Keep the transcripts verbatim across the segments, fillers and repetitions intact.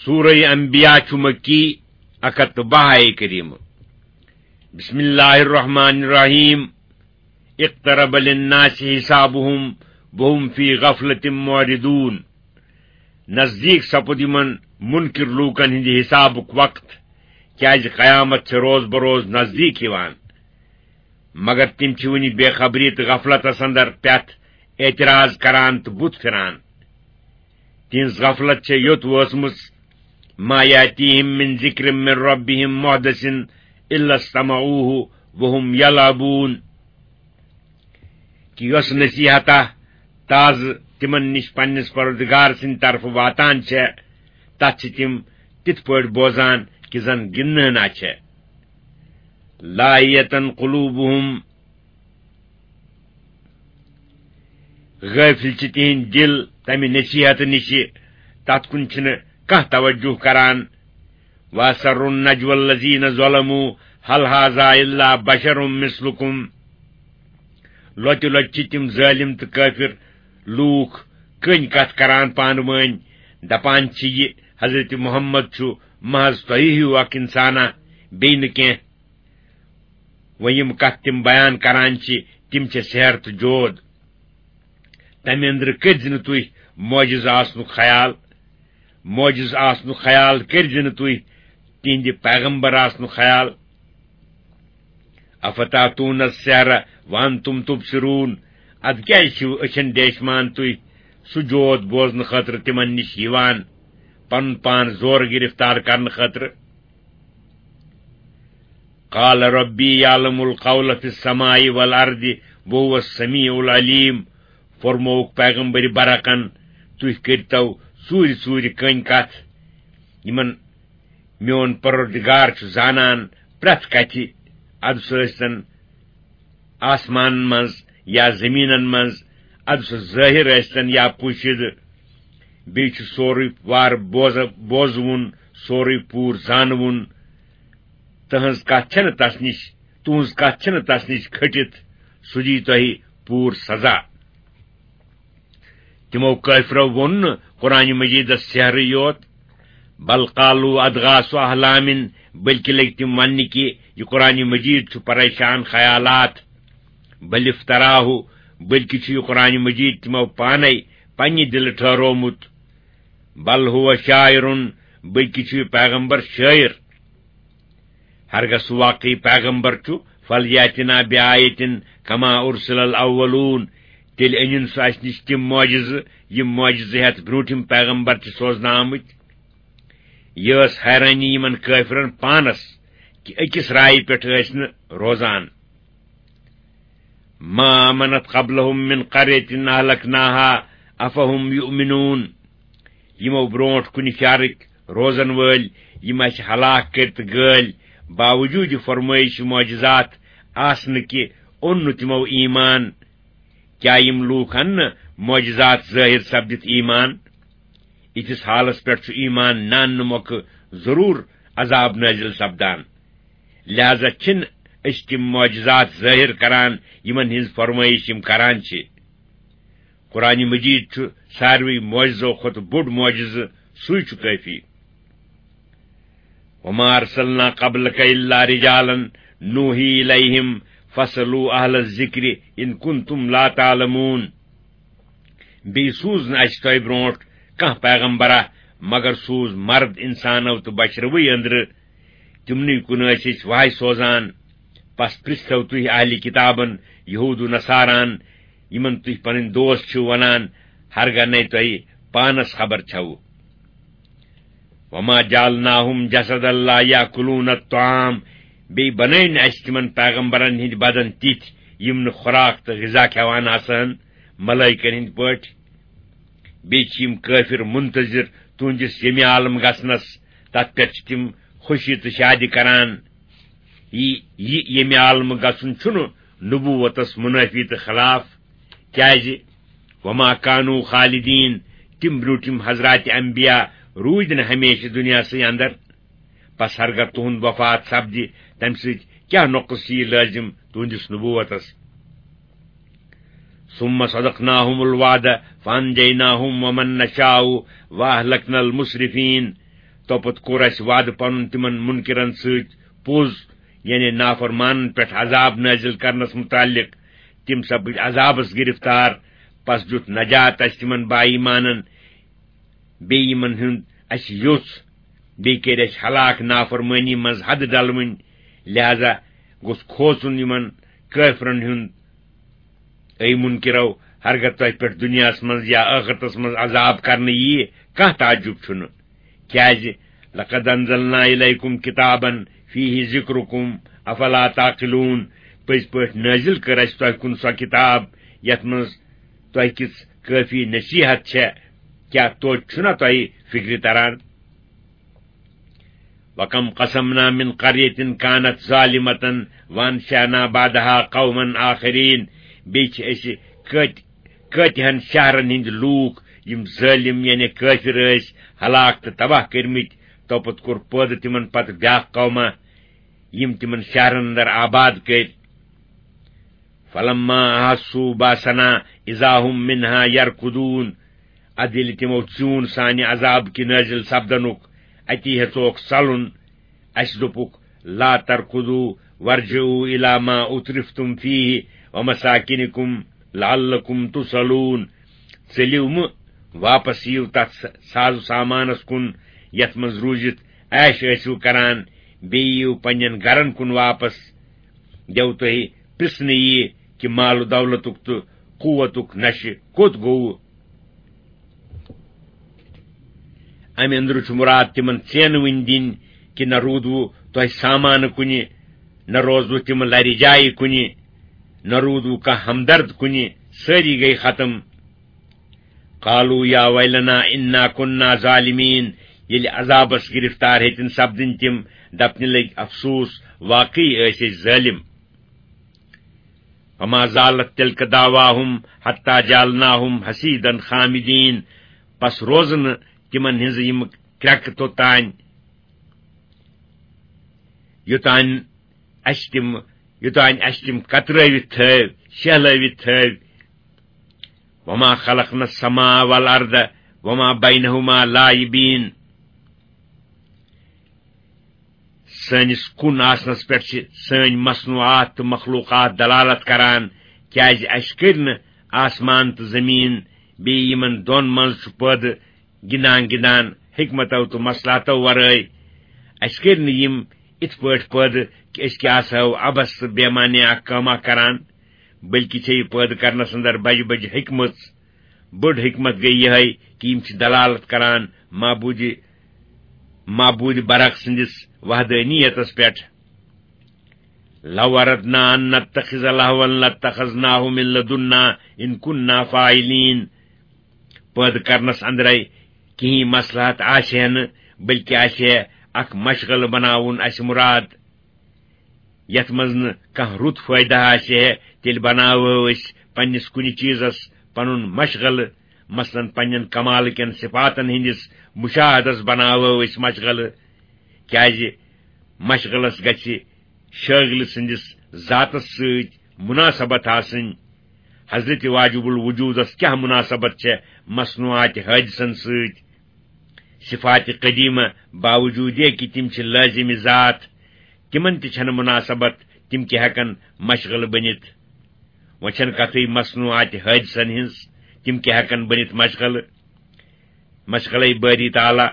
سورہ انبیاء چھُ مکی، اکھ ہتھ تہٕ باہ آیہِ کریمہ۔ بسم اللہ الرحمن الرحیم۔ اقترب للناس حسابهم وهم فی غفلة معرضون۔ نزدیک سپُد یِمن منکر لوٗکن ہٕنٛدِ حسابُک وقت، کیازِ قیامت چھِ روز بروز نزدیک یِوان۔ مگر تِم چھِ وُنہِ بے خبری تہٕ غفلتس اندر پٮ۪تھ اعتراض کران تہٕ بُتھ پھِران۔ تِہنٛز غفلت چھےٚ یوٚت وٲژمٕژ، ما یاتیہم من ذکر من ربہم محدث الا استمعوہ وہم یلعبون، کہِ یۄس نصیحتہ تازٕ تِمن نِش پننِس پروردگار سٕنٛدِ طرفہٕ واتان چھےٚ، تتھ چھِ تِم تِتھ پٲٹھۍ بوزان کہِ زن گِنٛدنہٕ ہنا چھےٚ۔ لاہیتن قلوبہم، غٲفِل چھِ تِہِنٛدۍ دِل تَمہِ نصیحت نِشہِ، تَتھ کُن چھِنہٕ کانٛہہ توجہ کران۔ وَأَسَرُّوا النَّجْوَى الَّذِينَ ظَلَمُوا هَلْ هَذَا إِلَّا بَشَرٌ مِثْلُكُمْ۔ لۄتہِ لۄتہِ چھِ تِم ظٲلِم تہٕ کٲفِر لوٗکھ کٔنۍ کَتھ کران پانہٕ ؤنۍ، دَپان چھِ، یہِ حضرت محمد چھُ محض تۄہہِ ہیوٗ اکھ اِنسانا، بیٚیہِ نہٕ کینٛہہ۔ وۄنۍ یِم کتھ تِم بیان کران چھِ، تِم چھِ سحر تہٕ جود۔ تمہِ أنٛدرٕ کٔرۍ زِ نہٕ تُہۍ معجزٕ آسنُک خیال، معجزٕ آسنُک خیال کٔرۍ زِ نہٕ تُہۍ تِہنٛدِ پیغمبر آسنُک خیال۔ افتاتون السحر وانتم تبصرون، ادٕ کیازِ چھِو أچھن ڈیشمان تُہۍ سُہ جود بوزنہٕ خٲطرٕ تِمن نِش یِوان، پنُن پان زورٕ گرفتار کرنہٕ خٲطرٕ؟ قال ربی یعلم القول فی السماء والارض وهو السمیع العلیم۔ فرمووُکھ پیغمبر برحقن، تُہۍ کٔرۍتو ژوٗرِ ژوٗرِ کٔنۍ کتھ۔ یِمن میون پروردگار چھُ زانان پرٛٮ۪تھ کتھِ، ادٕ سُہ ٲسۍتن آسمانن منٛز یا زٔمیٖنن منٛز، ادٕ سُہ ظٲہِر ٲسۍتن یا پوشیدٕ۔ بیٚیہِ چھُ سورُے وارٕ بوز-، بوزوُن، سورُے پوٗرٕ زانوُن۔ تٕہٕنٛز کتھ چھنہٕ تس نِش، تُہٕنٛز کتھ چھنہٕ تس نِش کھٔٹِتھ، سُہ دِیہِ تۄہہِ پوٗرٕ سزا۔ تِمو کٲفرو ووٚن نہٕ قرآن مجیدس سحرٕے یوت، بل قالوا اضغاث احلام، بلکہ لٔگۍ تِم وننہِ کہِ یہِ قرآن مجید چھُ پریشان خیالات۔ بل افتراہ، بلکہ چھُ یہِ قرآن مجید تِمو پانے پننہِ دِلہٕ ٹھہرومُت۔ بل هو شاعر، بلکہ چھُ یہِ پیغمبر شٲعر۔ ہرگاہ سُہ واقعی پیغمبر چھُ، فلیاتنا بآیتن کما ارسل الاولون، تیٚلہِ أنِن سُہ اَسہِ نِش تِم معجزٕ، یِم معجزٕ ہٮ۪تھ برٛونٛٹھِم پیغمبر چھِ سوزنہٕ آمٕتۍ۔ یہِ ٲس حیرٲنی یِمن کٲفرن پانس کہِ أکِس رایہِ پٮ۪ٹھ ٲسۍ نہٕ روزان۔ ما آمنت قبلهم من قرية أهلكناها أفهم يؤمنون۔ یِمو برونٛٹھ کُنہِ شہرٕکۍ روزن وٲلۍ، یِم اَسہِ ہلاک کٔرۍ تہٕ گٲلۍ، باوجوٗد فرمٲیش معجزات آسنہٕ کہِ اوٚن نہٕ تِمو ایمان۔ کیٛاہ یِم لوٗکھ اَنہٕ نہٕ معجزات ظٲہِر سپدِتھ ایمان؟ یِتھِس حالس پٮ۪ٹھ چھُ ایمان ناننہٕ مۄکھٕ ضروٗر عذاب نٲزِل سپدان۔ لہذا چھِنہٕ أسۍ تِم معجزات ظٲہِر کران، یِمن ہٕنٛز فرمٲیش یِم کران چھِ۔ قرآن مجید چھُ ساروٕے معجزو کھۄتہٕ بوٚڑ معجزٕ، سُے چھُ کٲفی۔ وما ارسلنا قبلك الا رجالا نوحي اليهم فاسالوا اهل الذكر ان كنتم لا تعلمون۔ بیٚیہِ سوٗز نہٕ اَسہِ تۄہہِ برونٛٹھ کانٛہہ پیغمبرا، مگر سوٗز مرد انسانو تہٕ بشروٕے أنٛدرٕ۔ تِمنٕے کُن ٲسۍ أسۍ وحی سوزان۔ پس پرژھو تُہۍ اہلِ کتابن، یہود و نصاران، یِمن تُہۍ پنٕنۍ دوست چھِو ونان، ہرگاہ نے تۄہہِ پانس خبر چھوٕ۔ وما جعلناهم جسدا لا يأكلون الطعام، بیٚیہِ بنٲے نہٕ اَسہِ تِمن پیغمبرن ہٕنٛدۍ بدن تِتھۍ، یِم نہٕ خوراک تہٕ غذا کھٮ۪وان آسہٕ ہن ملائکن ہٕنٛدۍ پٲٹھۍ۔ بیٚیہِ چھِ یِم کٲفر منتظر تُہنٛدِس ییٚمہِ عالم گژھنس، تتھ پٮ۪ٹھ چھِ تِم خوشی تہٕ شادی کران۔ یہِ، یہِ ییٚمہِ عالمہٕ گژھُن چھُنہٕ نبوتس منٲفی تہٕ خلاف، کیازِ وما كانوا خالدين، تِم برٛونٛٹھِم حضرات انبیاء روٗدۍ نہٕ ہمیشہٕ دُنیاہسٕے اندر۔ پس ہرگاہ تُہُنٛد وفات سپدِ، تمہِ سۭتۍ کیٛاہ نۄقص یِیہِ لٲزِم تُہنٛدِس نبوتس؟ ثم صدقناهم الوعد فأنجيناهم ومن نشاء وأهلكنا المسرفين۔ توپتہٕ کوٚر اَسہِ وعدٕ پنُن تِمن منکرن سۭتۍ پوٚز، یعنی نافرمانن پٮ۪ٹھ عذاب نٲزِل کرنس متعلق۔ تِم سپٕدۍ عذابس گرفتار، پس دیُت نجات اَسہِ تِمن با ایمانن۔ بیٚیہِ یِمن ہُنٛد اَسہِ یوٚژھ، بیٚیہِ کٔرۍ اَسہِ ہلاک نافرمٲنی منٛز حد ڈلوٕنۍ، لہذا گوٚژھ کھوژُن یِمن کٲفرن ہُنٛد۔ اے منکرو، ہرگاہ تۄہہِ پٮ۪ٹھ دُنیاہس منٛز یا ٲخرتس منٛز عذاب کرنہٕ ییہِ، کانٛہہ تعجب چھُنہٕ۔ کیازِ؟ لقد انزلنا الیکم کتابا فیہ ذکرکم افلا تعقلون۔ پٔزۍ پٲٹھۍ نٲزِل کٔر اَسہِ تۄہہِ کُن سۄ کتاب، یَتھ منٛز تۄہہِ کِژھ کٲفی نصیحت چھےٚ۔ کیٛاہ توتہِ چھُنہ تۄہہِ فکرِ تران؟ وَكَمْ قَصَمْنَا مِنْ قَرْيَةٍ كَانَتْ ظَالِمَةً وَأَنْشَأْنَا بَعْدَهَا قَوْمًا آخَرِينَ۔ بیٚیہِ چھِ أسۍ کٲتۍ-، کٲتِہَن شہرَن ہٕنٛدۍ لوٗکھ، یِم ظٲلِم یعنی کٲفِر ٲسۍ، ہلاک تہٕ تباہ کٔرمٕتۍ۔ توپتہٕ کوٚر پٲدٕ تِمَن پتہٕ بیٛاکھ قوما، یِم تِمَن شہرَن اندر آباد کٔرۍ۔ فلما احسوا باسنا اذا هم منها يركضون۔ ادٕ ییٚلہِ تِمو ژیوٗن سانہِ عذاب کہِ نٲزِل سپدنُک، اتی ہیژوکھ ژلُن۔ اسہِ دوٚپُکھ، لا تركضوا وارجعوا الى ما اترفتم فيه ومساكنكم لعلكم تصلون۔ ژٔلِو مہٕ، واپس یِیِو تتھ س-، ساز و سامانس کُن، یتھ منٛز روٗزِتھ عیش ٲسِو کران، بیٚیہِ یِیِو پننٮ۪ن گرن کُن واپس۔ دیو تۄہہِ پرژھنہٕ یی کہِ مال و دولتُک تہٕ قوتُک نشہٕ کوٚت گوٚو؟ امہِ اندرٕ چھُ مراد تِمن ژینہٕ وٕنۍ دِنۍ کہِ نہ روٗدوٕ تۄہہِ سامانہٕ کُنہِ، نہ روزوٕ تِم لرِ جایہِ کُنہِ، نہ روٗدوٕ کانٛہہ ہمدرد کُنہِ، سٲری گٔے ختم۔ قالوا یا ویلنا انا کنا ظالمین۔ ییٚلہِ عذابس گرفتار ہیٚتِن سپدٕنۍ تِم، دپنہِ لٔگۍ، افسوس، واقعی ٲسۍ أسۍ ظٲلم۔ وما زالت تلك دعواهم حتى جعلناهم حصيدا خامدين۔ پس روزٕ نہٕ تِمن ہٕنٛزٕ یِم کرٛٮ۪کہٕ توٚتام، یوٚتام اسہِ تِم، یوٚتام اسہِ تِم کترٲوِتھ تھٲوۍ، شیہلٲوِتھ تھٲوۍ۔ وما خلقنا السماء والأرض وما بينهما لاعبين۔ سٲنِس کُن آسنس پٮ۪ٹھ چھِ سٲنۍ مصنوعات تہٕ مخلوقات دلالت کران، کیازِ اسہِ کٔرۍ نہٕ آسمان تہٕ زٔمیٖن، بیٚیہِ یِمن دۄن منٛز چھُ پٲدٕ گِنٛدان گِنٛدان حکمتو تہٕ مصلحتو ورٲے۔ اسہِ کٔرۍ نہٕ یِم اِتھ پٲٹھۍ پٲدٕ کہِ أسۍ کیٛاہ آسہو عبث تہٕ بے معنی اکھ کٲمہ کران، بلکہِ چھے یہِ پٲدٕ کرنس اندر بجہِ بجہِ حکمت۔ بٔڑ حکمت گٔے یِہے کہِ یِم چھِ دلالت کران معبوٗدِ، معبوٗدِ برق سٕنٛدِس وحدٲنیتس پٮ۪ٹھ۔ لو اردنا ان نتخذ لهوا لاتخذناه من لدنا ان كنا فاعلين۔ پٲدٕ کرنس اندرے کِہیٖنۍ مصلحت آسہِ ہے نہٕ، بلکہِ آسہِ ہے اکھ مشغلہٕ بناوُن اسہِ مُراد، یتھ منٛز نہٕ کانٛہہ رُت فٲیدٕ آسہِ ہے، تیٚلہِ بناوہو أسۍ پننِس کُنہِ چیٖزس پنُن مشغلہٕ، مثلاً پننٮ۪ن کمالہٕ کٮ۪ن صفاتن ہٕنٛدِس مشاہدس بناوہو أسۍ مشغلہٕ، کیازِ مشغلس گژھِ شٲغلہٕ سٕنٛدِس ذاتس سۭتۍ مُناسبت آسٕنۍ۔ حضرت واجب الوجودس کیٛاہ مُناسبت چھےٚ مصنوعات حٲدثن سۭتۍ؟ صفات قدیمہ باوجود یہ کہ تِم چھِ لٲزم ذات، تِمن تہِ چھنہٕ مُناسبت، تِم کیٛاہ ہٮ۪کن مشغلہٕ بٔنِتھ؟ وۄنۍ چھنہٕ کتھٕے مصنوعات حٲدثن ہٕنٛز، تِم کیٛاہ ہٮ۪کن بٔنِتھ مشغلہٕ؟ مشغلے باری تعالیٰ۔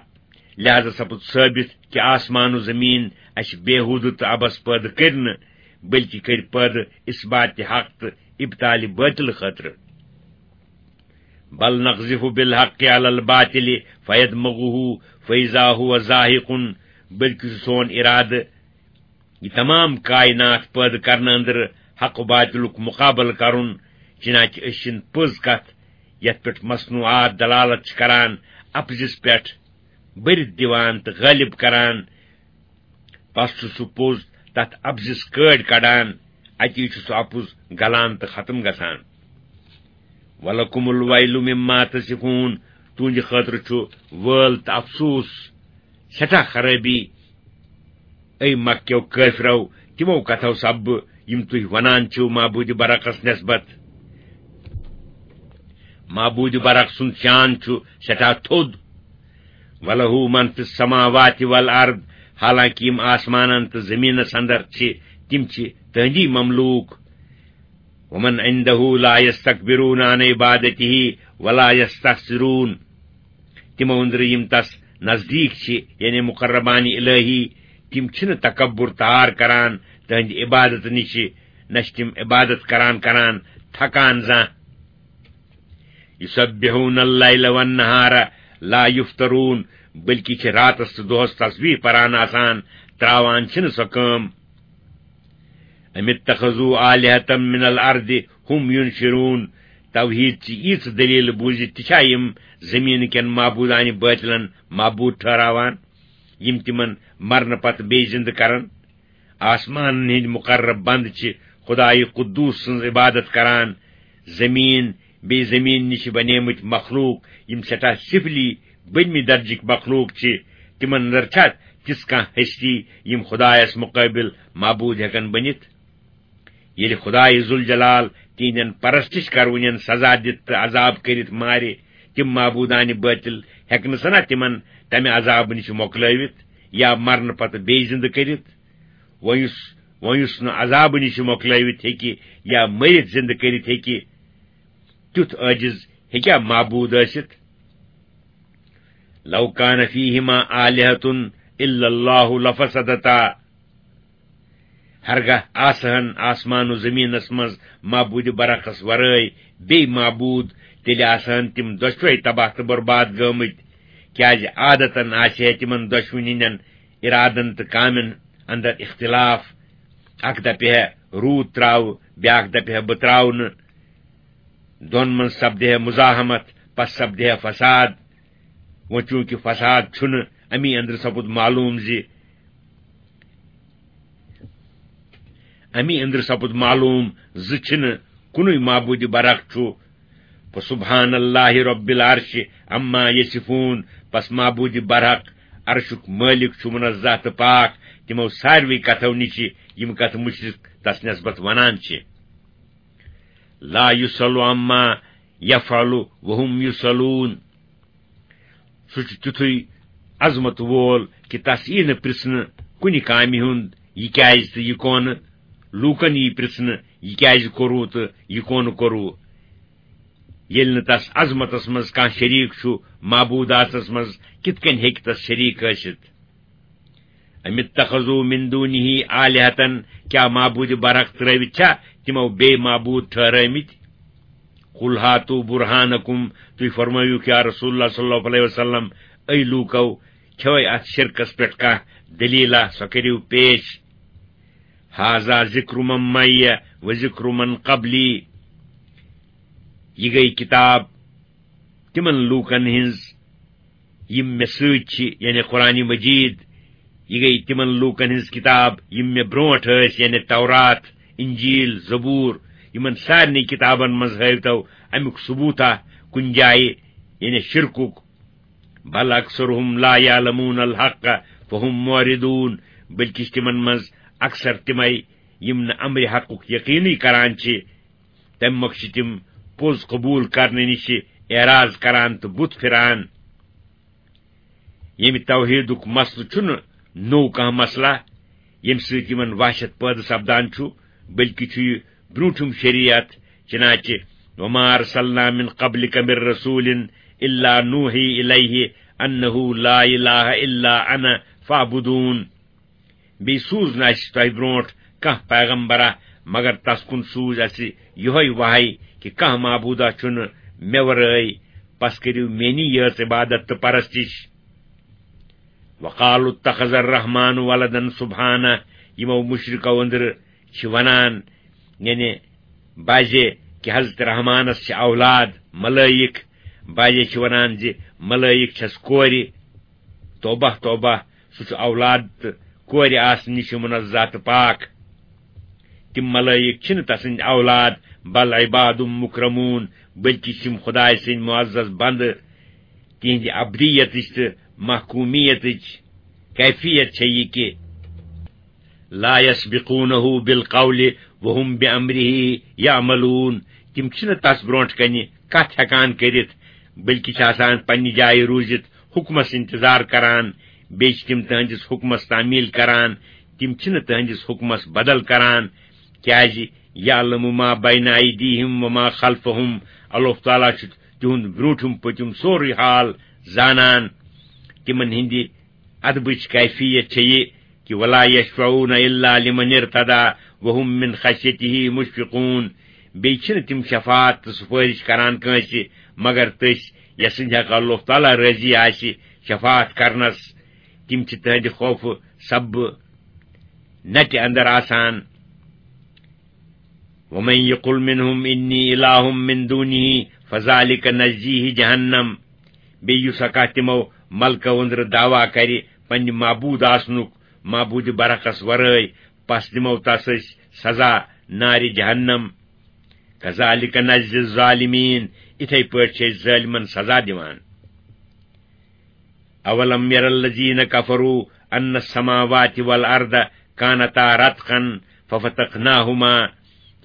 لہذا سپُد ثٲبت کہ آسمان و زمین اسہِ بیہودٕ تہٕ عبث پٲدٕ کٔرۍ نہٕ، بلکہ کٔرۍ پٲدٕ اثبات حق تہٕ ابطال باطل خٲطرٕ۔ بل نقذف بالحق على الباطل فيدمغه فإذا هو زاهق۔ بلکہ چھُ سون ارادٕ یہِ تمام کائنات پٲدٕ کرنہٕ اندرٕ حق و باطلُک مقابلہٕ کرُن، چنانچہ أسۍ چھِن پٔز کتھ، یتھ پٮ۪ٹھ مصنوعات دلالت چھِ کران، اپزِس پٮ۪ٹھ بٔرِتھ دِوان تہٕ غٲلب کران۔ پس چھُ سُہ پوٚز تتھ اپزِس کٲڑۍ کڑان، اتی چھُ سُہ اپُز گلان تہٕ ختم گژھان۔ ولکم الویل مما تصفون، تُہنٛدِ خٲطرٕ چھُ وٲل تہٕ افسوس، سٮ۪ٹھاہ خرٲبی۔ اے مکہ کیو کٲفرو، تِمو کتھو سببہٕ یِم تُہۍ ونان چھِو معبود برقس نسبت۔ معبود برق سُنٛد شان چھُ سٮ۪ٹھاہ تھوٚد۔ وَلَهُ مَنْ فِي السَّمَاوَاتِ وَالْأَرْضِ، حالانکہ یِم آسمانن تہٕ زمینس اندر چھِ، تِم چھِ تہندی مملوک۔ وَمَنْ عِنْدَهُ لَا يَسْتَكْبِرُونَ عَنْ عِبَادَتِهِ وَلَا يَسْتَحْسِرُونَ۔ تِمو أنٛدرٕ یِم تس نزدیٖک چھِ، یعنی مقربان الہی، تِم چھِنہٕ تکبر تار کران تہنٛدِ عبادت نِش، نہ چھِ تِم عبادت کران کران تھکان زانٛہہ۔ یُسبحون اللیل والنہار لا یفترون، بلکہ چھِ راتس تہٕ دۄہس تسبیح پران آسان، تراوان چھِنہٕ سۄ کٲم۔ ام اتخذوا آلہة من الارض هم ينشرون، توحید چہِ ییٖژ دلیل بوٗزِتھ تہِ چھا یِم زمین کٮ۪ن معبودانہِ باطلن معبود ٹھہراوان، یِم تِمن مرنہٕ پتہٕ بیٚیہِ زندٕ کرن؟ آسمانن ہٕنٛدۍ مقرب بندٕ چھِ خدایہِ قدوس سٕنٛز عبادت کران۔ زمین، بیٚیہِ زمین نِش بنیمٕتۍ مخلوق، یِم سٮ۪ٹھاہ سِفلی، بٔنمہِ درجٕکۍ مخلوق چھِ، تِمن اندر چھا تِژھ کانٛہہ ہستی، یِم خدایس مقٲبل معبود ہٮ۪کن بٔنِتھ؟ ییٚلہِ خدایہِ ذوالجلال تِہنٛدٮ۪ن پرستش کرونٮ۪ن سزا دِتھ تہٕ عذاب کٔرِتھ مارِ، تِم معبودانہِ باطل ہٮ۪کنہٕ سنا تِمن تمہِ عذابہٕ نِش مۄکلٲوِتھ یا مرنہٕ پتہٕ بیٚیہِ زندٕ کٔرِتھ؟ وۄنۍ یُس، وۄنۍ یُس نہٕ عذابہٕ نِش مۄکلٲوِتھ ہیٚکہِ یا مٔرِتھ زِندٕ کٔرِتھ ہیٚکہِ، تیُتھ عٲجِز ہیٚکیٛاہ معبوٗد ٲسِتھ؟ لو کان فیہما آلہۃ الا اللہ لفسدتا۔ ہرگاہ آسہٕ ہن آسمان و زمینس منٛز معبوٗدِ برحقس ورٲے بیٚیہِ معبوٗد، تیٚلہِ آسہٕ ہن تِم دۄشوے تباہ تہٕ برباد گٲمٕتۍ، کیٛازِ عادتن آسہِ ہے تِمن دۄشوٕنی ہٕنٛدٮ۪ن ارادن تہٕ کامٮ۪ن اندر اختلاف۔ اکھ دپہِ ہے روٗد تراوٕ، بیاکھ دپہِ ہے بہٕ تراوٕ نہٕ۔ دۄن منٛز سپدِ ہے مزاحمت، پس سپدِ ہے فساد۔ وۄنۍ چوٗنٛکہِ فساد چھُنہٕ، امی أنٛدرٕ سپُد معلوم زِ، امی أنٛدرٕ سپُد معلوم زِ چھِنہٕ کُنُے معبوٗدِ برحق چھُ۔ فسبحان اللہ رب العرش عما یصفون، پس معبوٗدِ برحق عرشُک مٲلِک چھُ منزہ تہٕ پاک تِمو ساروٕے کتھو نِش، یِم کتھٕ مُشرِک تس نسبت ونان چھِ۔ لا یُسأل عما یفعل وهم یُسألون۔ سُہ چھُ تیُتھُے عظمت وول کہِ تس یی نہٕ پرژھنہٕ کُنہِ کامہِ ہُنٛد، یہِ کیازِ تہٕ یہِ کونہٕ۔ لوٗکن یی پرژھنہٕ، یہِ کیازِ کوٚروٕ تہٕ یہِ کونہٕ کوٚروٕ۔ ییٚلہِ نہٕ تس عظمتس منٛز کانٛہہ شریٖک چھُ، معبوٗداتس منٛز کِتھ کٔنۍ ہیٚکہِ تس شریٖک ٲسِتھ؟ ام اتخذوا من دونه آلہة، کیا معبود برحق ترٲوِتھ چھا تِمو بیٚیہِ معبود ٹھہرٲومٕتۍ؟ قل هاتوا برهانكم، تُہۍ فرمٲیِو یا رسول اللہ صلی اللہ علیہ وسلم، اے لوٗکو، چھوے اتھ شرکس پٮ۪ٹھ کانٛہہ دلیٖلہ، سۄ کٔرِو پیش۔ هذا ذکر من معي وذکر من قبلی، یہِ گٔے کتاب تِمن لوٗکن ہٕنٛز یِم مےٚ سۭتۍ چھِ، یعنی قرآن مجید، یہِ گٔے تِمن لوٗکن ہٕنٛز کِتاب یِم مےٚ برونٛٹھ ٲسۍ، یعنی تورات، انجیل، زبور، یِمن سارنٕے کِتابن منٛز ہٲوتو امیُک ثبوٗتا کُنہِ جایہِ، یعنی شرکُک۔ بل اکثرهم لا يعلمون الحق فهم معرضون، بلکہِ چھِ تِمن منٛز اکثر تِمے یِم نہٕ امرِ حقُک یقیٖنٕے کران چھِ، تمہِ مۄکھٕ چھِ تِم پوٚز قبوٗل کرنہٕ نِش اعراض کران تہٕ بُتھ پھِران۔ ییٚمہِ توحیٖدُک مسلہٕ چھُنہٕ نوٚو کانٛہہ مسلہٕ، ییٚمہِ سۭتۍ یِمن وحشت پٲدٕ سپدان چھُ، بلکہِ چھُ یہِ برٛونٛٹھِم شریعت، چنانچہ وما ارسلنا من قبلک من رسول الا نوحی الیہ انہ لا الہ الا انا فاعبدون۔ بیٚیہِ سوٗز نہٕ اَسہِ تۄہہِ برٛونٛٹھ کانٛہہ پیغمبرا، مگر تس کُن سوٗز اَسہِ یِہوٚے وحی کہِ کانٛہہ معبوٗدا چھُنہٕ مےٚ ورٲے، پس کٔرِو میٛٲنی یٲژ عبادت تہٕ پرستش۔ وقالوا اتخذ الرحمن ولدا، سبحانہ، یِمو مُشرِکو أنٛدرٕ چھِ ونان، یعنی بعضے کہِ حضرت رحمانس چھِ اولاد، ملٲیِک، بعضے چھِ ونان زِ ملٲیِک چھَس کورِ۔ توبہ، توبہ، سُہ چھُ اولاد تہٕ کورِ آسنہٕ نِش منزہ تہٕ پاک۔ تِم ملٲیِک چھِنہٕ تسٕنٛدۍ اولاد، بل عباد مکرمون، بلکہِ چھِ یِم خدایہِ سٕنٛدۍ معزز بندٕ۔ تِہنٛدِ ابدیتٕچ تہٕ محکومیتٕچ کیفیت چھےٚ یہِ کہِ لا یسبقونہ بالقول وهم بامرہ یعملون، تِم چھِنہٕ تس برونٛٹھ کنہِ کتھ ہٮ۪کان کٔرِتھ، بلکہِ چھِ آسان پننہِ جایہِ روٗزِتھ حکمس انتظار کران، بیٚیہِ چھِ تِم تُہنٛدِس حکمس تعمیل کران، تِم چھِنہٕ تُہنٛدِس حکمس بدل کران، کیازِ یعلم ما بین ایدیہم و ما خلفہم، اللہ تعالیٰ چھُ تِہُنٛد برٛونٛٹھِم پٔتِم سورُے حال زانان۔ تِمن ہٕنٛدِ ادبٕچ کیفیت چھےٚ یہِ کہِ ولا یشفعون الا لمن ارتضی وهم من خشیتہ مشفقون، بیٚیہِ چھِنہٕ تِم شفاعت تہٕ سفٲرِش کران کٲنٛسہِ مگر تٔسۍ یَس سٕنٛدِ حق اللہ تعالیٰ رٲضی آسہِ شفاعت کرنس، تِم چھِ تٕہنٛدِ خوفہٕ سببہٕ نٹہِ اندر آسان۔ ومن یقل منهم انی الہ من دونہ فذلک نجزیہ جہنم، بیٚیہِ یُس ہا کانٛہہ تِمو ملکو أنٛدرٕ دعویٰ کرِ پننہِ معبوٗد آسنُک، معبوٗدِ برحقس ورٲے، پس دِمو تس أسۍ سزا نارِ جہنم۔ کذالک نجزی الظالمین، اِتھے پٲٹھۍ چھِ أسۍ ظٲلمن سزا دِوان۔ اولم یر الذین کفروا ان السماوات والارض کانتا رتقا ففتقناہما،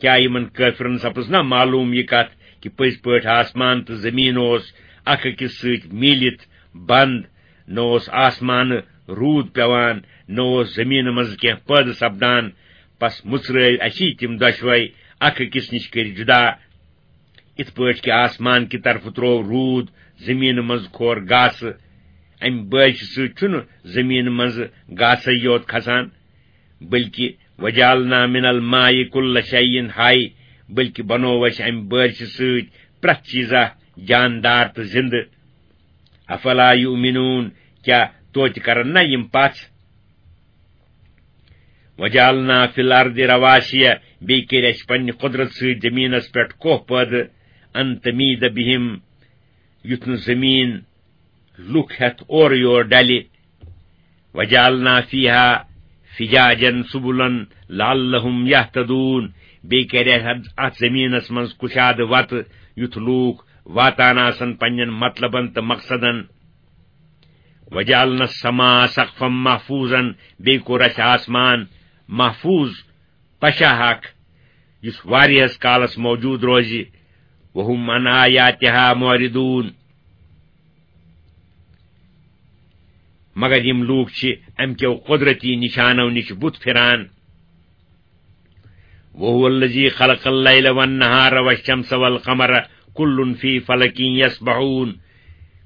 کیا یِمن کٲفرن سپٕز نہ معلوم یہِ کتھ کہِ پٔزۍ پٲٹھۍ آسمان تہٕ زمین اوس اکھ أکِس سۭتۍ میٖلِتھ بند، نہ اوس آسمانہٕ روٗد پٮ۪وان، نہ اوس زمینہٕ منٛزٕ کینٛہہ پٲدٕ سپدان، پس مُژرٲوۍ اسی تِم دۄشوے اکھ أکِس نِش کٔرۍ جُدا۔ یِتھ پٲٹھۍ کہِ آسمان کہِ طرفہٕ تروو روٗد، زمینہٕ منٛزٕ کھور گاسہٕ، امہِ بٲرشہِ سۭتۍ چھُنہٕ زمینہٕ منٛزٕ گاسے یوت کھسان، بلکہ وجعلنا من الماء کل شیء حی، بلکہ بنوو اسہِ امہِ بٲرشہِ سۭتۍ پرٛٮ۪تھ چیٖزا جاندار تہٕ زندٕ۔ افلا یؤمنون، کیا توتہِ کرن نہ یِم پژھ؟ وجعلنا فی الارض رواسی، بیٚیہِ کٔرۍ اسہِ پننہِ قدرت سۭتۍ زمینس پٮ۪ٹھ کوہ پٲدٕ، ان تمید بہم، یُتھ نہٕ زمین لُکھ ہٮ۪تھ اورٕ یور ڈلہِ۔ وجعلنا فیہا فجاجا سبلا لعلہم یہتدون، بیٚیہِ کرِ اَتھ، اَتھ زمینس منٛز کُشادٕ وتہٕ، یُتھ لوٗکھ واتان آسن پننٮ۪ن مطلبن تہٕ مقصدن۔ وجعلنا السماء سقفا محفوظا، بیٚیہِ کوٚر اَسہِ آسمان محفوظ، پشاہ اکھ، یُس واریاہس کالس موجود روزِ۔ وہم عن آیاتہا معرضون، مگر یِم لوٗکھ چھِ اَمہِ کیو قۄدرتی نِشانو نِش بُتھ پھِران۔ وهو الذي خلق الليل والنهار والشمس والقمر كل في فلك يسبحون۔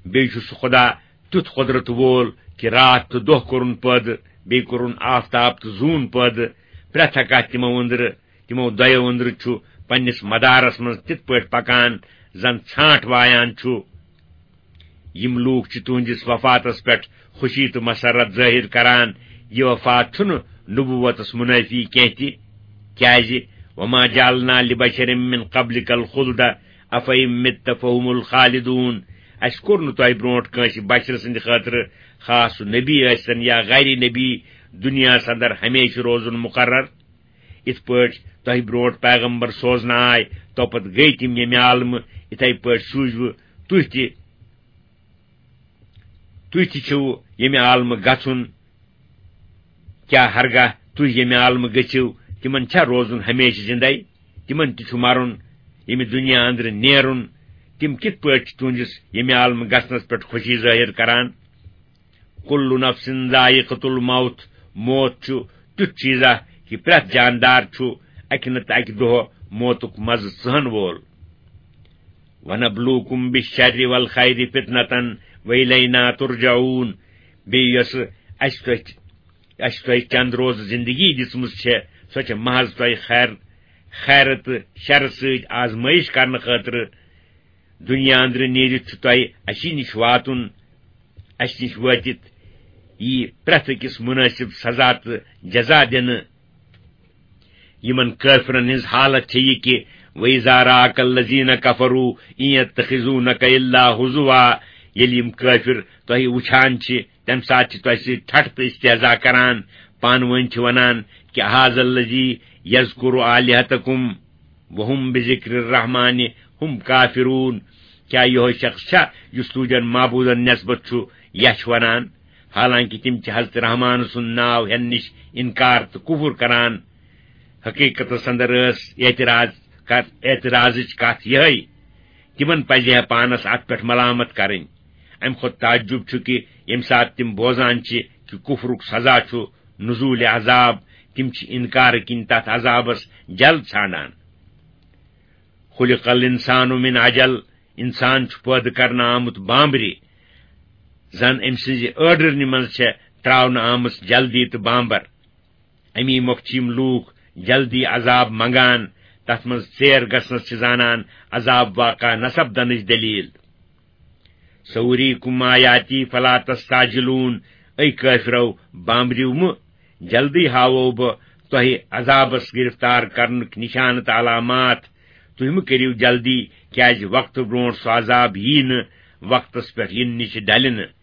بیٚیہِ چھُ سُہ خۄدا تیُتھ قۄدرت وول کہِ راتھ تہٕ دۄہ کوٚرُن پٲدٕ، بیٚیہِ کوٚرُن آفتاب تہٕ زوٗن پٲدٕ۔ پرٛٮ۪تھ اکھ تِمو أنٛدرٕ، تِمو دۄیو أنٛدرٕ چھُ پننِس مدارس منٛز تِتھ پٲٹھۍ پکان زن ژھانٛٹھ وایان چھُ۔ یِم لوٗکھ چھِ تُہنٛدِس وفاتس پٮ۪ٹھ خوشی تہٕ مسرت ظٲہِر کران۔ یہِ وفات چھُنہٕ نبوتس منٲفی کینٛہہ تہِ، کیازِ وما جعلنا لبشر من قبلك الخلد افإن مت فهم الخالدون۔ اسہِ کوٚر نہٕ تۄہہِ برونٛٹھ کٲنٛسہِ بشر سٕنٛدِ خٲطرٕ، خاص سُہ نبی ٲسۍتن یا غیر نبی، دُنیاہس اندر ہمیشہِ روزُن مقرر۔ یِتھ پٲٹھۍ تۄہہِ برونٛٹھ پیغمبر سوزنہٕ آے، توپتہٕ گٔے تِم ییٚمہِ عالمہٕ، یِتھے پٲٹھۍ سوٗزوٕ تُہۍ تہِ، تُہۍ تہِ چھِو ییٚمہِ عالمہٕ گژھُن۔ کیٛاہ ہرگاہ تُہۍ ییٚمہِ عالمہٕ گٔژھِو، تِمن چھا روزُن ہمیشہِ زِندَے؟ تِمن تہِ چھُ مرُن، ییٚمہِ دُنیا اندرٕ نیرُن۔ تِم کِتھ پٲٹھۍ چھِ تُہنٛدِس ییٚمہِ عالمہٕ گژھنس پٮ۪ٹھ خوشی ظٲہِر کران؟ کل نفس ذائقۃ الموت، موت چھُ تیُتھ چیٖزا کہِ پرٛٮ۪تھ جاندار چھُ اَکہِ نتہٕ اَکہِ دۄہ موتُک مزٕ ژٕہن وول۔ ونبلوکم بالشر والخیر فتنة والینا ترجعون۔ بیٚیہِ یۄسہٕ اَسہِ تۄہہِ، اَسہِ تۄہہِ چند روز زندگی دِژمٕژ چھےٚ، سۄ چھےٚ محض تۄہہِ خیر، خیرٕ تہٕ شرٕ سۭتۍ آزمٲیش کرنہٕ خٲطرٕ۔ دُنیا أنٛدرٕ نیٖرِتھ چھُ تۄہہِ اَسی نِش واتُن۔ اَسہِ نِش وٲتِتھ یی پرٛٮ۪تھ أکِس مُنٲسِب سزا تہٕ جزا دِنہٕ۔ یِمن کٲفرن ہٕنٛز حالت چھےٚ یہِ کہِ، وَإِذَا رَآكَ الَّذِينَ كَفَرُوا إِن يَتَّخِذُونَكَ إِلَّا هُزُوًا، ییٚلہِ یِم کٲفِر تۄہہِ وٕچھان چھِ، تَمہِ ساتہٕ چھِ تۄہہِ سۭتۍ ٹھٹھٕ تہٕ استہزا کران، پانہٕ ؤنۍ چھِ وَنان کہِ، أَهَٰذَا الَّذِي يَذْكُرُ آلِهَتَكُمْ وَهُمْ بِذِكْرِ الرَّحْمَٰنِ هُمْ كَافِرُونَ۔ کیٛاہ یِہوٚے شخص چھا یُس تُہنٛدٮ۪ن معبوٗدن نٮ۪سبت چھُ یَچھ وَنان، حالانکہِ تِم چھِ حضرت رحمان سُنٛد ناو ہٮ۪نہٕ نِش اِنکار تہٕ کُفُر کران؟ حقیٖقتس اندر ٲس اعتراض کر-، اعتراضٕچ کتھ یِہوٚے، تِمن پزِ ہے پانس اتھ پٮ۪ٹھ ملامت کرٕنۍ۔ امہِ کھۄتہٕ تعجب چھُ کہِ ییٚمہِ ساتہٕ تِم بوزان چھِ کہِ کُفرُک سزا چھُ نزول عذاب، تِم چھِ انکار کِنۍ تتھ عذابس جلد ژھانڈان۔ خلق الانسان من عجل، انسان چھُ پٲدٕ کرنہٕ آمُت بامبرِ، زن أمۍ سٕنزِ أڈرنہِ منز چھےٚ تراونہٕ آمٕژ جلدی تہٕ بامبر۔ امی مۄکھٕ چھِ یِم لوٗکھ جلدی عذاب منگان، تتھ منز ژیر گژھنس چھِ زانان عذاب واقع نہ سپدنٕچ دلیل۔ سوریکم آیاتی فلا تستعجلون، اے کٲفرو، بامبریو مہٕ، جلدی ہاوو بہٕ تۄہہِ عذابس گرفتار کرنٕکۍ نشانہٕ تہٕ علامات۔ تُہۍ مہٕ کٔرِو جلدی، کیازِ وقتہٕ برونٹھ سُہ عذاب یی نہٕ، وقتس پٮ۪ٹھ یِنہٕ نِش ڈلہِ نہٕ۔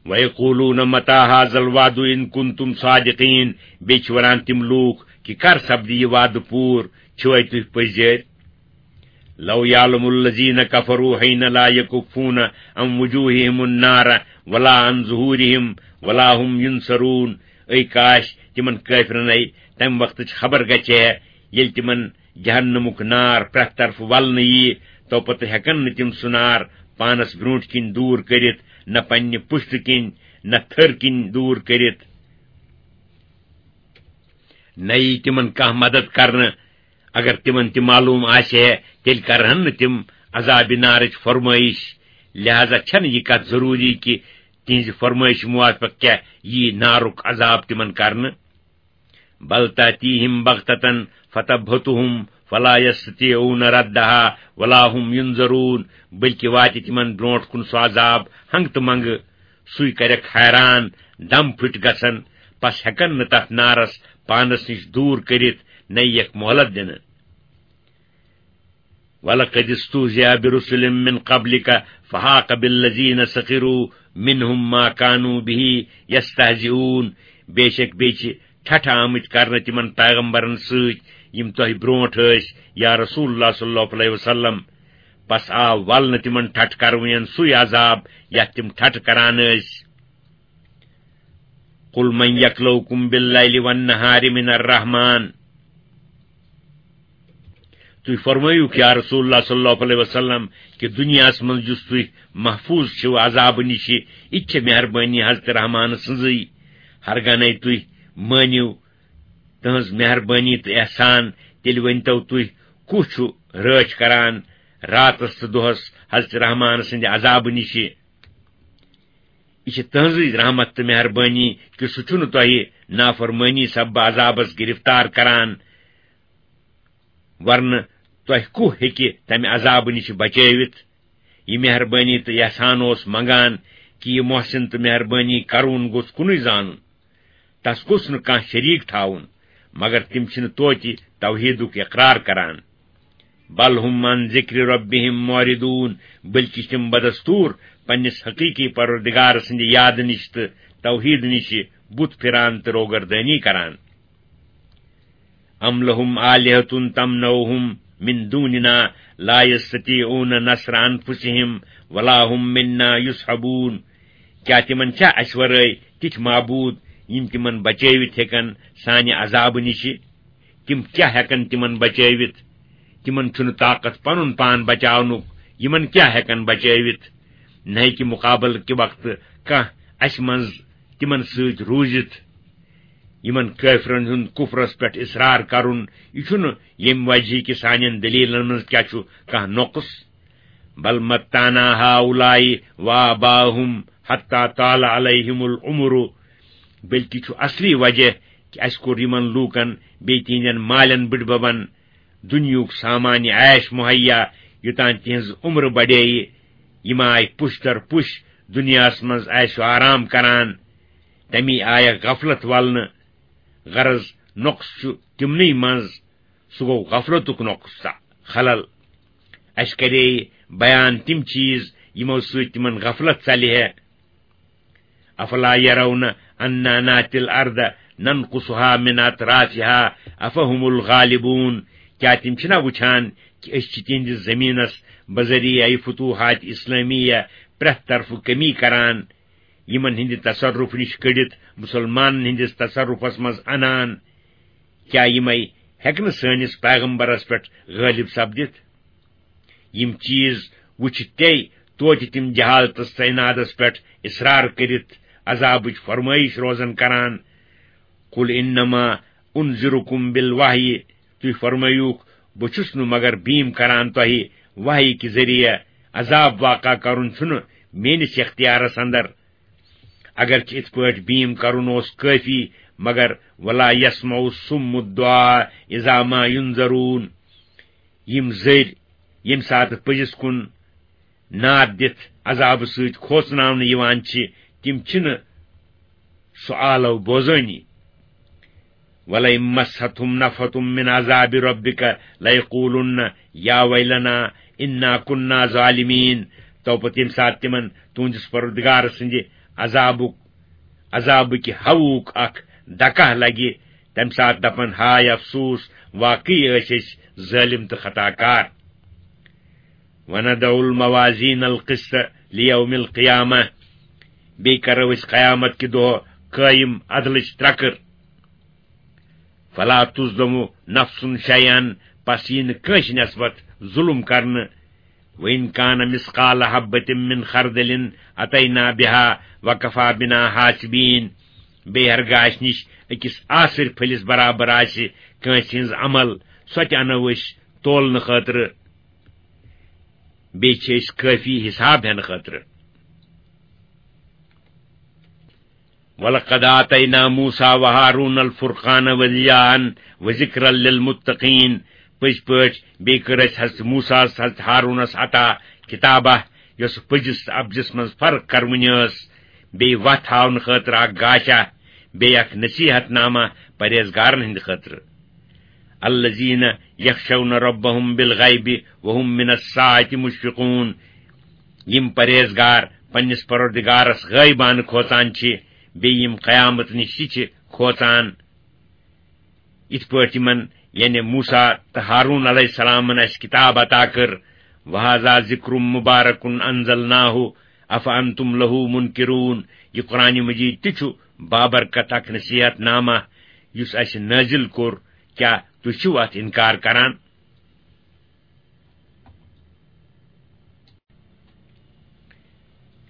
وَيَقُولُونَ مَتَىٰ هَٰذَا الْوَعْدُ إِن كُنتُمْ صَادِقِينَ، بیٚیہِ چھِ وَنان تِم لوٗکھ کہِ کر سپدِ یہِ وعدٕ پوٗرٕ، چھِوَے تُہۍ پٔزۍ جٲرۍ؟ لَوْ يَعْلَمُ الَّذِينَ كَفَرُوا حِينَ لَا يَكُفُّونَ عَنْ وُجُوهِهِمُ النَّارَ وَلَا عَنْ ظُهُورِهِمْ وَلَا هُمْ يُنصَرُونَ۔ اے کاش تِمن کٲفرن اے تمہِ وقتٕچ خبر گژھِ ہے، ییٚلہِ تِمن جہنمُک نار پرٛٮ۪تھ طرفہٕ ولنہٕ ییہِ، تو پتہٕ ہٮ۪کن نہٕ تِم سُہ نار پانس برونٹھ کِنۍ دوٗر کٔرِتھ، نہ پننہِ پُشتہٕ کِنۍ، نہ تھٔر کِنۍ دوٗر کٔرِتھ۔ نہ یی تِمن کانٛہہ مدد کرنہٕ۔ اگر تِمن تہِ معلوم آسہِ ہے، تیٚلہِ کرہن نہٕ تِم عذابِ نارٕچ فرمٲیش۔ لہذا چھنہٕ یہِ کتھ ضروٗری کہِ تِہنزِ فرمٲیشہِ موافق کیاہ یی نارُک عذاب تِمن کرنہٕ۔ بل تأتيهم بغتة فتبهتهم فلا يستطيعون ردها ولا هم ينظرون، بلکہِ واتہِ تِمن برونٹھ کُن سُہ عذاب ہنگہٕ تہٕ منگہٕ، سُے کرٮ۪کھ حیران، دم پھٕٹۍ گژھن، پس ہٮ۪کن نہٕ تتھ نارس پانس نِش دوٗر کٔرِتھ، نہ یِیَکھ مۄہلت دِنہٕ۔ وَلَقَدِ اسْتُهْزِئَ بِرُسُلٍ مِّن قَبْلِكَ فَحَاقَ بِالَّذِينَ سَخِرُوا مِنْهُمْ مَا كَانُوا بِهِ يَسْتَهْزِئُونَ۔ بے شک بیٚیہِ چھِ ٹھٹھٕ آمٕتۍ کرنہٕ تِمن پیغمبرن سۭتۍ، یِم تۄہہِ برونٹھ ٲسۍ، یا رسول اللہ صلی اللہ علیہ وسلم۔ پس آو ولنہٕ تِمن ٹھٹھٕ کرونین سُے عذاب، یتھ تِم ٹھٹھٕ کران ٲسۍ۔ قل من یکلؤکم باللیل والنہار من الرحمن۔ تُہۍ فرمٲیِو یا رسول اللہ صلی اللہ علیہ وسلم کہِ دُنیاہس منٛز یُس تُہۍ محفوظ چھِو عذابہٕ نِشہِ، یہِ تہِ چھےٚ مہربٲنی حضرت رحمان سٕنٛزٕے۔ ہرگاہ نے تُہۍ مٲنِو تٕہٕنٛز مہربٲنی تہٕ احسان، تیٚلہِ ؤنۍتو تُہۍ کُس چھُ رٲچھ کران راتس تہٕ دۄہس حضرت رحمان سٕنٛدِ عذابہٕ نِشہِ؟ یہِ چھِ تٕہٕنٛزٕے رحمت تہٕ مہربٲنی کہِ سُہ چھُنہٕ تۄہہِ نافرمٲنی سببہٕ عذابس گرفتار کران، ورنہٕ تۄہہِ کُہ ہیٚکہِ تمہِ عذابہٕ نِش بچٲوِتھ؟ یہِ مہربٲنی تہٕ احسان اوس منگان کہِ یہِ محسن تہٕ مہربٲنی کرون گوٚژھ کُنُے زانُن۔ تس گوٚژھ نہٕ کانٛہہ شریٖک تھاوُن، مگر تِم چھِنہٕ توتہِ توحیٖدُک اقرار کران۔ بل ہم عن ذکر ربہم معرضون، بلکہ چھِ تِم بدستور پننِس حقیقی پروردگار سٕنٛدِ یادٕ نِش تہٕ توحیٖد نِش بُتھ پھِران تہٕ روگردٲنی کران۔ ام لہم آلہۃ تمنعہم من دوننا لا یستطیعون نصر انفسہم ولا ہم منا یصحبون۔ کیا تِمن چھا اسہِ ورٲے تِتھۍ معبوٗد یِم تِمن بچٲوِتھ ہیٚکن سانہِ عذابہٕ نِشہِ؟ تِم کیا ہیٚکن تِمن بچٲوِتھ؟ تِمن چھُنہٕ طاقت پنُن پان بچاونُک، یِمن کیا ہیٚکن بچٲوِتھ؟ نہ ہیٚکہِ مُقابلہٕ کہِ وقتہٕ کانٛہہ اسہِ منٛز تِمن سۭتۍ روٗزِتھ۔ یِمن کٲفرن ہُنٛد کُفرس پٮ۪ٹھ اصرار کرُن، یہِ چھُنہٕ ییٚمہِ وجہہ کہِ سانٮ۪ن دلیلن منٛز کیا چھُ کانٛہہ نۄقص۔ بل متعنا ہؤلاء وآباءہم حتی طال علیہم العمر، بلکہ چھُ اصلی وجہ کہِ اسہِ کوٚر یِمن لوٗکن بیٚیہِ تِہنٛدٮ۪ن مالٮ۪ن بٕڈببن دُنیہُک سامان عیش مہیا، یوٚتام تِہنٛز عمر بڑییہِ۔ یِم آیہِ پُش در پُش دُنیاہس منٛز عیش و آرام کران۔ تمی آیکھ غفلت ولنہٕ۔ غرض، نۄقص چھُ تِمنٕے منٛز، سُہ گوٚو غفلتُک نۄقص تہٕ خلل۔ اسہِ کرے بیان تِم چیز یِمو سۭتۍ تِمن غفلت ژلہِ ہے۔ افلا یرون انا ناتی الارض ننقصها من اطرافها افهم الغالبون۔ کیا تِم چھِنا وٕچھان کہِ أسۍ چھِ تِہنٛدِس زمینس بذریعہ فتوحات اسلامیہ پرٛٮ۪تھ طرفہٕ کمی کران؟ یِمن ہٕنٛدِ تصرف نِش کٔڑِتھ مُسلمانن ہٕنٛدِس تصرفس منٛز انان۔ کیا یِمے ہیٚکہِ نہٕ سٲنِس پیغمبرس پٮ۪ٹھ غٲلب سپدِتھ؟ یِم چیز وُچھِ تے توتہِ تِم جہالتس تہٕ عنادس پٮ۪ٹھ اصرار کٔرِتھ عذابٕچ فرمٲیش روزن کران۔ قل انما انذرکم بالوحی، تُہۍ فرمٲیوکھ، بہٕ چھُس نہٕ مگر بیٖم کران تۄہہِ وحی کہِ ذٔریعہٕ، عذاب واقع کرُن چھُنہٕ میٲنِس اختیارس اندر۔ اگرچہِ اِتھ پٲٹھۍ بیٖم کرُن اوس کٲفی، مگر ولا یسمع الصم الدعاء اذا ما ينذرون، یِم زٔرۍ ییٚمہِ ساتہٕ پٔزِس کُن ناد دِتھ عذابہٕ سۭتۍ کھوژناونہٕ یِوان چھِ، تِم چھِنہٕ سُہ آلو بوزٲنی۔ وَلَئِن مَسَّتْهُمْ نَفْحَةٌ مِّنْ عَذَابِ رَبِّكَ لَيَقُولُنَّ يَا وَيْلَنَا إِنَّا كُنَّا ظَالِمِينَ۔ تو پتہٕ ییٚمہِ ساتہٕ تِمن تُہنٛدِس پروردگار سٕنٛدِ عذابُک، عذابٕکہِ ہوہُک اکھ دکہ لگہِ، تمہِ ساتہٕ دپن، ہاے افسوس، واقعی ٲسۍ أسۍ ظٲلِم تہٕ خطا کار۔ وَنَضَعُ الْمَوَازِينَ الْقِسْطَ لِيَوْمِ الْقِيَامَةِ، بیٚیہِ کرو أسۍ قیامت کہِ دۄہ قٲیِم عدلٕچ ترکٕر۔ فَلَا تُظْلَمُ نَفْسٌ شَيْئًا، پس یی نہٕ کٲنٛسہِ نٮ۪سبت ظُلُم کرنہٕ۔ وَإِنْ كَانَ مِثْقَالَ حَبَّةٍ مِّنْ خَرْدَلٍ أَتَيْنَا بِهَا وَكَفَىٰ بِنَا حَاسِبِينَ۔ بیٚیہِ ہرگاہ اَسہِ نِش أکِس آسٕرۍ پھٔلِس برابر آسہِ کٲنٛسہِ ہٕنٛز عمل، سۄ تہِ اَنو أسۍ تولنہٕ خٲطرٕ۔ بیٚیہِ چھِ أسۍ کٲفی حساب ہٮ۪نہٕ خٲطرٕ۔ وَلَقَدْ آتَيْنَا مُوسَىٰ وَهَارُونَ الْفُرْقَانَ وَضِيَاءً وَذِكْرًا لِلْمُتَّقِينَ۔ پٔزۍ پٲٹھۍ بیٚیہِ کٔر اَسہِ حضرت موسیٰ ہس، حضرت ہارونس عطا کتابہ، یۄس پٔزِس تہٕ اپزِس منٛز فرق کرونۍ ٲس، بیٚیہِ وتھ ہاونہٕ خٲطرٕ اکھ گاشہ، بیٚیہِ اکھ نصیحت نامہ پرہیزگارن ہٕنٛدِ خٲطرٕ۔ الذين يخشون ربهم بالغيب وهم من الساعة مشفقون۔ یِم پرہیزگار پننِس پروردگارس غٲیبانہٕ کھوژان چھِ، بیٚیہِ یِم قیامت نِش تہِ چھِ کھوژان۔ یِتھ پٲٹھۍ یِمن، یعنی موسیٰ تہٕ ہارون علیہ السلامن، اَسہِ کتاب عطا کٔر، وَهَٰذَا ذِكْرٌ مُّبَارَكٌ أَنزَلْنَاهُ أَفَأَنتُمْ لَهُ مُنكِرُونَ۔ یہِ قرآن مجید تہِ چھُ بابرکت اکھ نصیحت نامہ، یُس اَسہِ نٲزِل کوٚر، کیٛاہ تُہۍ چھِو اَتھ اِنکار کران؟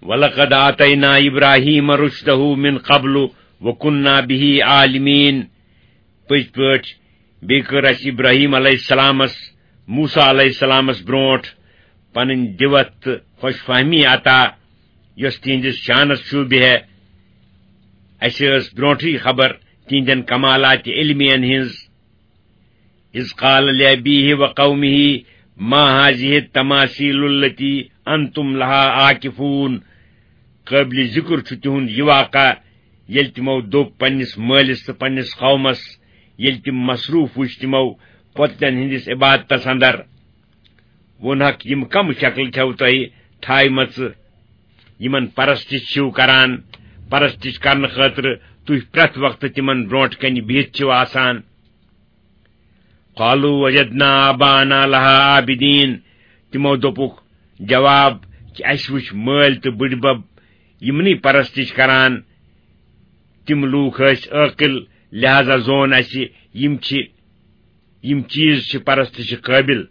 وَلَقَدْ آتَيْنَا إِبْرَاهِيمَ رُشْدَهُ مِنْ قَبْلُ وَكُنَّا بِهِ عَالِمِينَ۔ پٔزۍ پٲٹھۍ بیٚیہِ کٔر اَسہِ ابراہیم علیہ السلامس، موسیٰ علیہ السلامس برونٛٹھ پنٕنۍ دِوتھ تہٕ خۄش فہمی عطا، یۄس تِہنٛدِس شانس شوٗبہِ ہے۔ اَسہِ ٲس برونٛٹھٕے خبر تِہنٛدٮ۪ن کمالات علمیَن ہٕنٛز۔ إِذْ قَالَ لِأَبِيهِ وَقَوْمِهِ مَا هَٰذِهِ التَّمَاثِيلُ الَّتِي أَنتُمْ لَهَا عَاكِفُونَ۔ قٲبلِ ذِکر چھُ تِہُنٛد یہِ واقعہ، ییٚلہِ تِمو دوٚپ پننِس مٲلِس تہٕ پننِس قومس، ییٚلہِ تِم مصروٗف وُچھ تِمو پۄتلٮ۪ن ہٕنٛدِس عبادتس اندر۔ ووٚنہکھ، یِم کم شکلہٕ چھَو تۄہہِ تھایمژٕ، یِمن پرستش چھِو کران؟ پرستش کرنہٕ خٲطرٕ تُہۍ پرٛٮ۪تھ وقتہٕ تِمن برونٛٹھ کنہِ بِہِتھ چھِو آسان۔ قالوا وجدنا آباءنا لها عابدين۔ تِمو دوٚپُکھ جواب کہِ اَسہِ وُچھ مٲلۍ تہٕ بٕڈبب یِمنٕے پرستش کران۔ تِم لوٗکھ ٲسۍ عٲقل، لہذا زون اَسہِ، یِم چھِ، یِم چیٖز چھِ پرستشہِ قٲبِل۔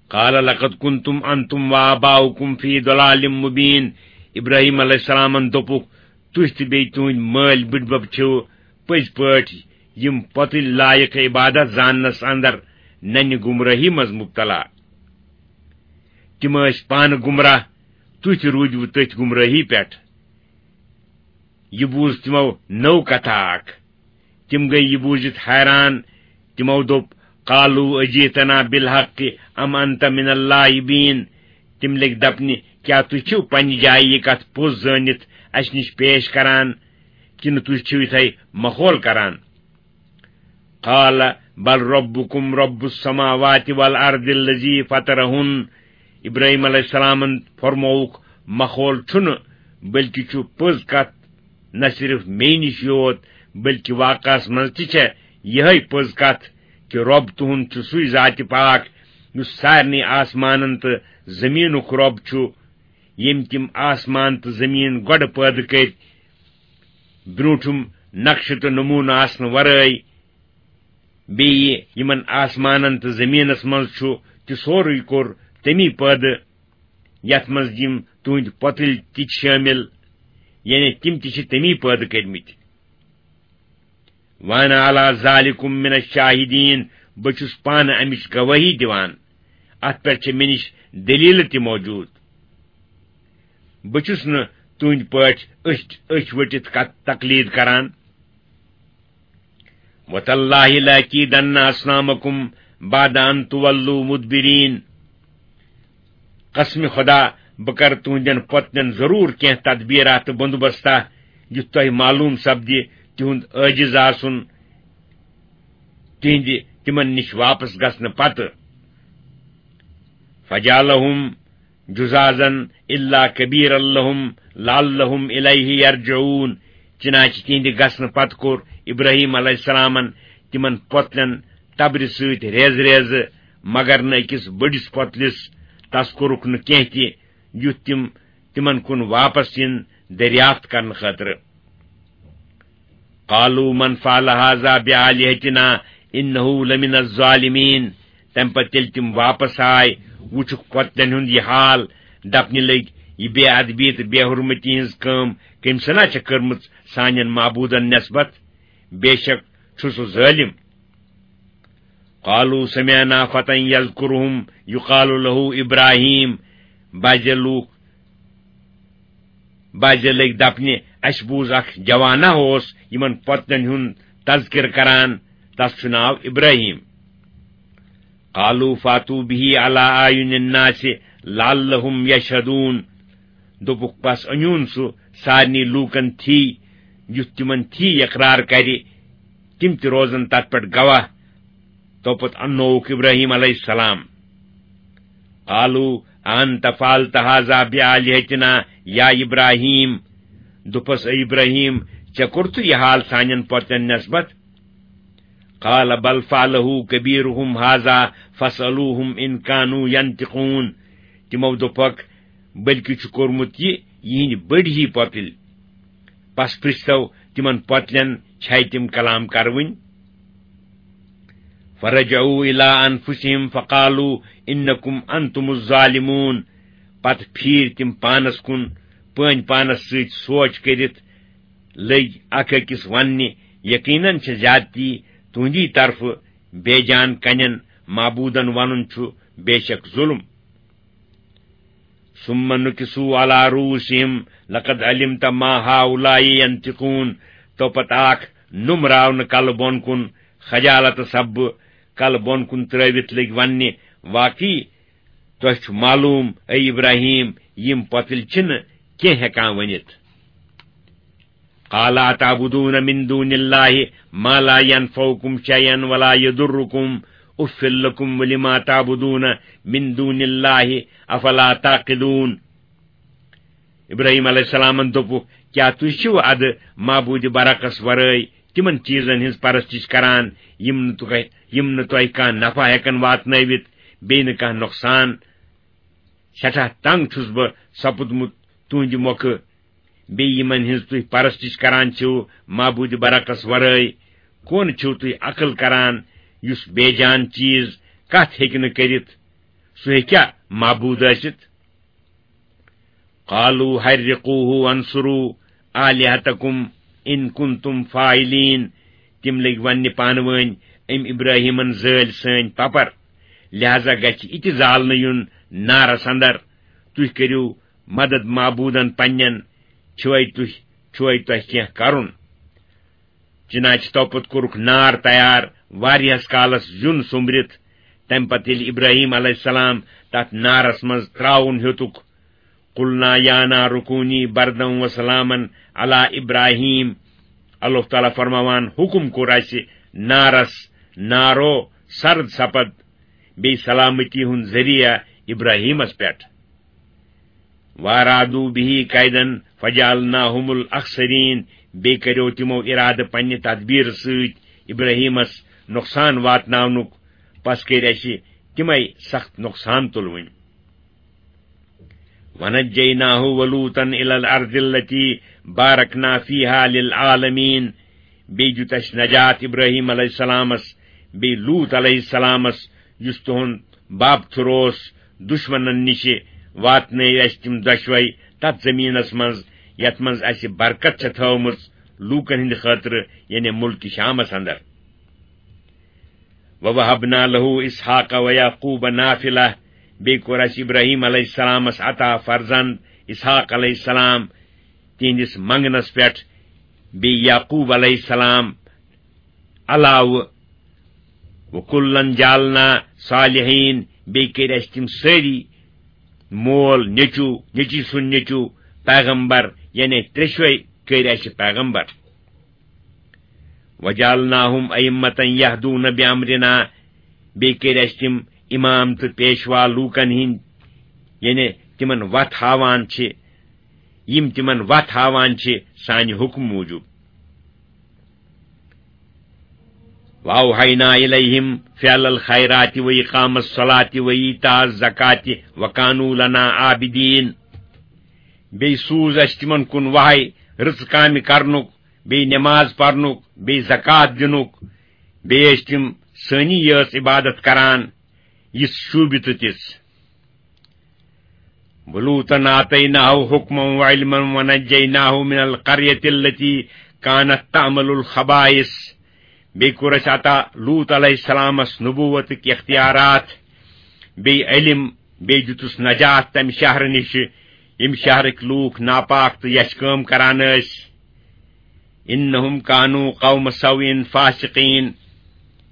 قال لقد كنتم أنتم وآباؤكم في ضلال مبين۔ ابراہیم علیہ السلامن دوٚپُکھ، تُہۍ تہٕ بیٚیہِ تُہٕنٛدۍ مٲلۍ بٕڈبب چھِو پٔزۍ پٲٹھۍ یِم پۄتٕلۍ لایق عبادت زاننس اندر ننہِ گمراہی منٛز مبتلا۔ تِم ٲسۍ پانہٕ گمراہ، تُہۍ تہِ روٗدِوٕ تٔتھۍ گمراہی پٮ۪ٹھ۔ یہِ بوٗز تِمو نٔو کتھا اکھ۔ تِم گٔیہِ یہِ بوٗزِتھ حیران۔ تِمو دوٚپ، قالوا أجئتنا بالحق أم أنت من اللاعبين؟ تِم لٔگۍ دپنہِ، کیٛاہ تُہۍ چھِو پننہِ جایہِ یہِ کتھ پوٚز زٲنِتھ اسہِ نِش پیش کران، کِنہٕ تُہۍ چھِو یِتھے مخول کران؟ قال بل ربكم رب السماوات والأرض الذي فطرهن۔ ابراہیم علیہ السلامن فرمووُکھ، مخول چھُنہٕ، بلکہِ چھُ پٔز کتھ نہ صرف مے نِش یوت، بلکہِ واقعس منٛز تہِ چھےٚ یِہے پٔز کتھ کہِ رۄب تُہُنٛد چھُ سُے ذاتِ پاک، یُس سارنٕے آسمانن تہٕ زٔمیٖنُک رۄب چھُ، ییٚمۍ تِم آسمان تہٕ زٔمیٖن گۄڈٕ پٲدٕ کٔرۍ، برٛونٛٹھِم نقشہٕ تہٕ نموٗنہٕ آسنہٕ ورٲے۔ بیٚیہِ یِمن آسمانن تہٕ زٔمیٖنس منٛز چھُ تہِ سورُے کوٚر تمی پٲدٕ یتھ منٛز یِم تُہنٛدۍ پۄتٕلۍ تہِ چھِ شٲمِل، یعنی تِم تہِ چھِ تمی پٲدٕ کٔرمٕتۍ۔ وانا علی ذالکم من الشاہدین، بہٕ چھُس پانہٕ امِچ گوٲہی دِوان، اتھ پٮ۪ٹھ چھِ مےٚ نِش دٔلیٖلہٕ تہِ موجود۔ بہٕ چھُس نہٕ تُہنٛدۍ پٲٹھۍ أچھ أچھ ؤٹِتھ کتھ تقلید کران۔ وتاللہ لأکیدن اصنامکم بعد ان تولوا مدبرین۔ قسم خدا، بہٕ کرٕ تُہنٛدٮ۪ن پۄتلٮ۪ن ضروٗر کینٛہہ تدبیرا تہٕ بندوبستا، یُتھ تۄہہِ معلوم سپدِ تِہُنٛد عٲجز آسُن، تِہنٛدِ تِمن نِش واپس گژھنہٕ پتہٕ۔ فجعلهم جذاذا الا کبیرا لهم لعلهم الیہ یرجعون۔ چنانچہ تِہنٛدِ گژھنہٕ پتہٕ کوٚر ابراہیم علیہ السلامن تِمن پۄتلٮ۪ن تبرِ سۭتۍ ریزٕ ریزٕ، مگر نہٕ أکِس بٔڑِس پۄتلِس۔ تس کوٚرُکھ نہٕ کینٛہہ تہِ، یُتھ تِم تِمن کُن واپس یِن دریافت کرنہٕ خٲطرٕ۔ قالوا من فعل هذا بآلهتنا إنه لمن الظالمين۔ تمہِ پتہٕ ییٚلہِ تِم واپس آے، وُچھُکھ پۄتلٮ۪ن ہُنٛد یہِ حال، دپنہِ لٔگۍ، "یہِ بے ادبی تہٕ بے حرمتی ہٕنٛز کٲم کٔمۍ سنا چھےٚ کٔرمٕژ سانٮ۪ن معبوٗدن نسبت؟ بے شک چھُ سُہ ظٲلِم۔" قالوا سمعنا فتى يذكرهم يقال له إبراهيم۔ بعض لوٗکھ بعض لٔگۍ دپنہِ، "اسہِ بوٗز اکھ جوانا اوس یِمن پۄتلٮ۪ن ہُنٛد تذکر کران، تس چھُ ناو ابراہیم۔" قالوا فاتوا به على أعين الناس لعلهم يشهدون۔ دوٚپُکھ، "بس أنِوُن سُہ سارنٕے لوٗکن تھی، یُتھ تِمن تھی اقرار کرِ، تِم تہِ روزن تتھ پٮ۪ٹھ گواہ۔" توپت اننووُکھ ابراہیم علیہ السلام۔ قالوا أأنت فعلت هذا بآلهتنا يا إبراهيم؟ دوٚپس، "اے ابراہیم، ژےٚ کوٚرتھٕ یہِ حال سانٮ۪ن پۄتلٮ۪ن نسبت؟" قال بل فعله كبيرهم هذا فاسألوهم إن كانوا ينطقون۔ تِمو دوٚپکھ، "بلکہِ چھُ کوٚرمُت یہِ یِہنٛدۍ بٔڑۍ ہی پۄتٕلۍ۔ پس پرٛژھتو تِمن پۄتلٮ۪ن، چھے تِم کلام کرٕوٕنۍ؟" فرجعوا إلى أنفسهم فقالوا إنكم أنتم الظالمون۔ پتہٕ پھیٖرۍ تِم پانس کُن، پٲنۍ پانس سۭتۍ سونچ کٔرِتھ لٔگۍ اکھ أکِس وننہِ، "یقیناً چھِ زیادتی تُہنٛدی طرفہٕ، بے جان کنٮ۪ن معبوٗدن ونُن چھُ بے شک ظلم۔" ثم نكسوا على رؤوسهم لقد علمت ما هؤلاء ينطقون۔ تو پتہٕ آکھ نُمراونہٕ کلہٕ بۄن کُن، خجالت سببہٕ کلہٕ بۄن کُن ترٲوِتھ لٔگۍ وننہِ، "واقعی تۄہہِ چھُ معلوم، اے ابراہیم، یِم پۄتٕلۍ چھِنہٕ کینٛہہ ہٮ۪کان ؤنِتھ۔" قال أتعبدون من دون الله ما لا ينفعكم شيئا ولا يضركم أف لكم ولما تعبدون من دون الله أفلا تعقلون۔ ابراہیم علیہ السلامن دوٚپُکھ، "کیٛاہ تُہۍ چھِو ادٕ معبوٗدِ برحقس ورٲے تِمن چیٖزن ہٕنٛز پرستش کران، یِم نہٕ تۄہہِ، یِم نہٕ تۄہہِ کانٛہہ نفع ہٮ۪کن واتنٲوِتھ، بیٚیہِ نہٕ کانٛہہ نۄقصان؟ سٮ۪ٹھاہ تنگ چھُس بہٕ سپُدمُت تُہنٛدِ مۄکھٕ۔ بیٚیہِ یِمن ہٕنٛز تُہۍ پرستش کران چھِو معبوٗدِ برحقس ورٲے، کون چھِو تُہۍ عقل کران، یُس بے جان چیٖز کتھ ہیٚکہِ نہٕ کٔرِتھ، سُہ ہیٚکیٛاہ معبوٗد ٲسِتھ؟" قالوا حرقوه وانصروا آلهتكم إن كنتم فاعلين۔ تِم لٔگۍ وننہِ پانہٕ وٲنۍ، "أمۍ ابراہیمن زٲلۍ سٲنۍ پپر، لہذا گژھِ یہِ تہِ زالنہٕ یُن نارس اندر۔ تُہۍ کٔرِو مدد معبوٗدن پننٮ۪ن، چھُوے تُہۍ، چھُوے تۄہہِ کینٛہہ کرُن۔" چنانچہ توپت کوٚرُکھ نار تیار، واریاہس کالس زیُن سوٚمبرِتھ۔ تمہِ پتہٕ ییٚلہِ ابراہیم علیہ السلام تتھ نارس منٛز تراوُن ہیوٚتُکھ، "قلنا يا نار كوني بردا وسلاما على إبراهيم۔" اللہ تعالیٰ فرماوان، حکم کوٚر اسہِ نارس، "نارو، سرد سپد، بیٚیہِ سلامتی ہُنٛد ذٔریعہٕ ابراہیمس پٮ۪ٹھ۔" وارادوا به كيدا فجعلناهم الأخسرين۔ بیٚیہِ کریو تِمو ارادٕ پننہِ تدبیرٕ سۭتۍ ابراہیمس نۄقصان واتناونُک، پس کٔرۍ اسہِ تِمے سخت نۄقصان تُلوٕنۍ۔ ونجيناه ولوطا إلى الأرض التي باركنا فيها للعالمين۔ بیٚیہِ دیُت اسہِ نجات ابراہیم علیہ السلامس، بیٚیہِ لوط علیہ السلامس، یُس تُہُنٛد باب تھُر اوس، دُشمنن نِشہِ واتنٲوۍ اَسہِ تِم دۄشوے تتھ زٔمیٖنس منٛز، یتھ منٛز اَسہِ برکت چھےٚ تھٲومٕژ لوٗکن ہٕنٛدِ خٲطرٕ، یعنی مُلکہِ شامس اندر۔ وَوَهَبْنَا لَهُ إِسْحَاقَ وَيَعْقُوبَ نَافِلَةً، بیٚیہِ کوٚر اَسہِ ابراہیم علیہ السلامس عطا فرزند اسحاق علیہ السلام، تِہنٛدِس منگنس پٮ۪ٹھ، بیٚیہِ یعقوب علیہ السلام علاوٕ۔ وَكُلًّا جَعَلْنَا صَالِحِينَ، بیٚیہِ کٔرۍ اَسہِ تِم سٲری مول، نیٚچوٗ، نیٚچی سُنٛد نیٚچوٗ پیغمبر، یعنی ترٛیشوے کٔرۍ اَسہِ پیغمبر۔ وَجَعَلْنَاهُمْ أَئِمَّةً يَهْدُونَ بِأَمْرِنَا، بیٚیہِ کٔرۍ اَسہِ تِم امام تہٕ پیشوا لوٗکن ہٕنٛدۍ، یعنی تِمن وتھ ہاوان چھِ، یِم تِمن وتھ ہاوان چھِ سانہِ حُکمہٕ موٗجوٗب۔ وَأَوْحَيْنَا إِلَيْهِمْ فِعْلَ الْخَيْرَاتِ وَإِقَامَ الصَّلَاةِ وَإِيتَاءَ الزَّكَاةِ وَكَانُوا لَنَا عَابِدِينَ۔ بیٚیہِ سوٗز اَسہِ تِمن کُن وحی رٕژ کامہِ کرنُک، بیٚیہِ نماز پرنُک، بیٚیہِ زکوٰۃ دِنُک، بیٚیہِ ٲسۍ تِم سٲنی یٲژ عبادت کران، یِژھ شوٗبہِ تہٕ تِژھ۔ وَلُوطًا آتَيْنَاهُ حُكْمًا وَعِلْمًا وَنَجَّيْنَاهُ مِنَ الْقَرْيَةِ الَّتِي كَانَتْ تَعْمَلُ الْخَبَائِثَ۔ بیٚیہِ کوٚر اَسہِ عطا لوط علیہ السلامس نبوتٕکۍ اختیارات، بیٚیہِ علم، بیٚیہِ دیُتُس نجات تمہِ شہرٕ نِشہِ، ییٚمہِ شہرٕکۍ لوٗکھ ناپاک تہٕ یچھِ کٲم کران ٲسۍ۔ إِنَّهُمْ كَانُوا قَوْمَ سَوْءٍ فَاسِقِينَ۔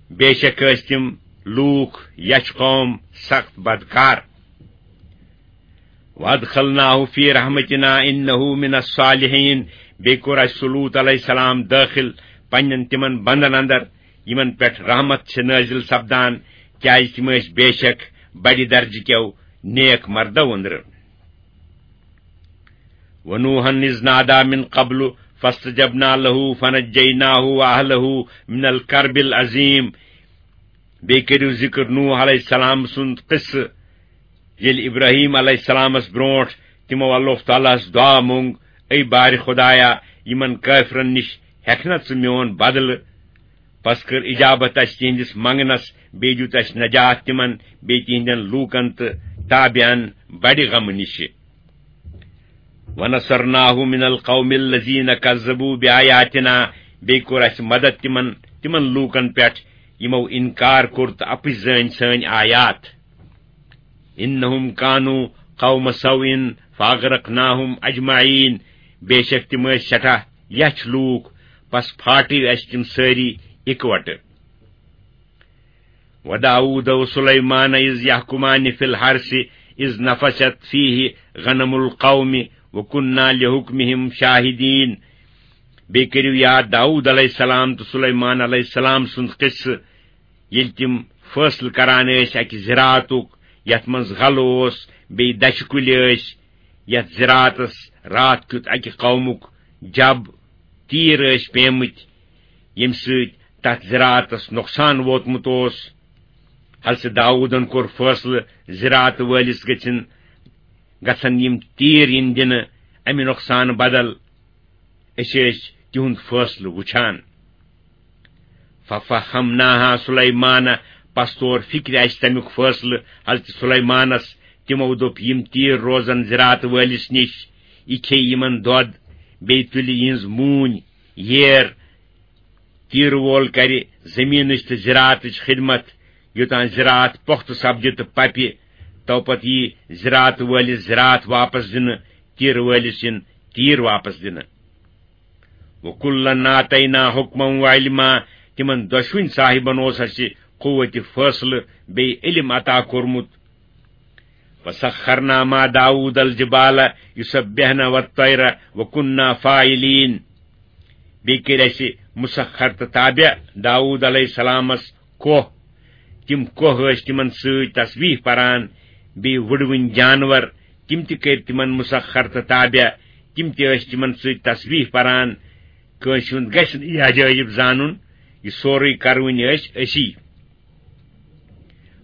بے شک ٲسۍ تِم لوٗکھ، یچھِ قوم، سخت بدکار۔ وَأَدْخَلْنَاهُ فِي رَحْمَتِنَا إِنَّهُ مِنَ الصَّالِحِينَ۔ بیٚیہِ کوٚر اَسہِ سُہ لوط علیہ السلام دٲخل پننٮ۪ن تِمن بندن اندر، یِمن پٮ۪ٹھ رحمت چھِ نٲزِل سپدان، کیازِ تِم ٲسۍ بے شک بڑِ درجہٕ کٮ۪و نیک مردو أنٛدرٕ۔ وَنُوحًا إِذْ نَادَىٰ مِنْ قَبْلُ فَاسْتَجَبْنَا لَهُ فَنَجَّيْنَاهُ وَأَهْلَهُ مِنَ الْكَرْبِ الْعَظِيمِ۔ بیٚیہِ کٔرِو ذِکر نوح علیہ السلام سُنٛد قصہٕ، ییٚلہِ ابراہیم علیہ السلامس برونٛٹھ تِمو اللہ تعالیٰ ہس دعا مونگ، اے بارِ خدایا، یِمن کٲفرن نِش ہٮ۪کھ نا ژٕ میون بدلہٕ؟ پس کٔر اجابت اسہِ تِہنٛدِس منگنس، بیٚیہِ دیُت اسہِ نجات تِمن، بیٚیہِ تِہنٛدٮ۪ن لوٗکن تہٕ تابعن بڑِ غمہٕ نِشہِ۔ وَنَصَرْنَاهُ مِنَ الْقَوْمِ الَّذِينَ كَذَّبُوا بِآيَاتِنَا، بیٚیہِ کوٚر اَسہِ مدد تِمن، تِمن لوٗکن پٮ۪ٹھ، یِمو اِنکار کوٚر تہٕ اَپٕز زٲنۍ سٲنۍ آیات۔ إِنَّهُمْ كَانُوا قَوْمَ سَوْءٍ فَأَغْرَقْنَاهُمْ أَجْمَعِينَ، بے شک تِم ٲسۍ سٮ۪ٹھاہ یَچھ لوٗکھ، پس پھاٹے اَسہِ تِم سٲری اِکوٹہٕ۔ وَدَاوُودَ وَسُلَيْمَانَ إِذْ يَحْكُمَانِ فِي الْحَرْثِ إِذْ نَفَشَتْ فِيهِ غَنَمُ الْقَوْمِ وَكُنَّا لِحُكْمِهِمْ شَاهِدِينَ۔ بیٚیہِ کٔرِو یاد داوود علیہ السلام تہٕ سلیمان علیہ السلام سُنٛد قصہٕ، ییٚلہِ تِم فٲصلہٕ کران ٲسۍ اَکہِ زِراعتُک، یَتھ منٛز غلہٕ اوس، بیٚیہِ دَچھِ کُلۍ ٲسۍ، یَتھ زِراعتَس راتھ کیُتھ اَکہِ قومُک جب تیٖر ٲسۍ پیمٕتۍ، ییٚمہِ سۭتۍ تَتھ زِراعتَس نۄقصان ووتمُت اوس۔ حضرت داوودن کوٚر فٲصلہٕ زِراعت وٲلِس گژھن، گژھن یِم تیٖر یِن دِنہٕ اَمہِ نۄقصانہٕ بدل۔ أسۍ ٲسۍ تِہُنٛد فٲصلہٕ وُچھان۔ فَفَہَّمْنَاهَا سُلَيْمَانَ، پس توٚر فِکرِ اَسہِ تَمیُک فٲصلہٕ حضرت سُلیمانس۔ تِمو دوٚپ، یِم تیٖر روزن زِراعت وٲلِس نِش، یہِ کھیٚیہِ یِمن دۄد، بیٚیہِ تُلہِ یِہٕنٛز موٗنۍ، ییر۔ تیٖرٕ وول کرِ زٔمیٖنٕچ تہٕ زِراعتٕچ خدمت، یوٚتام زِراعت پۄختہٕ سپدِ تہٕ پپہِ، تو پتہٕ یی زِراعت وٲلِس زِراعت واپس دِنہٕ، تیٖرٕ وٲلِس یِن تیٖر واپس دِنہٕ۔ وَكُلًّا آتَيْنَا حُكْمًا وَعِلْمًا، تِمن دۄشوٕنۍ صاحبن اوس اَسہِ قوتِ فٲصلہٕ بیٚیہِ علم عطا کوٚرمُت۔ وَسَخَّرْنَا مَعَ دَاوُودَ الْجِبَالَ يُسَبِّحْنَ وَالطَّيْرَ وَكُنَّا فَاعِلِينَ۔ بیٚیہِ کٔرۍ اَسہِ مُسخر تہٕ تابع داوود علیہ السلامس کوہ۔ تِم کوہ ٲسۍ تِمن سۭتۍ تسبیح پران، بیٚیہِ وُڑوٕنۍ جانور، تِم تہِ کٔرۍ تِمن مُسخر تہٕ تابع، تِم تہِ ٲسۍ تِمن سۭتۍ تسبیح پران۔ کٲنٛسہِ ہُنٛد گژھِ نہٕ یہِ عجٲیب زانُن، یہِ سورُے کرونۍ ٲسۍ أسی۔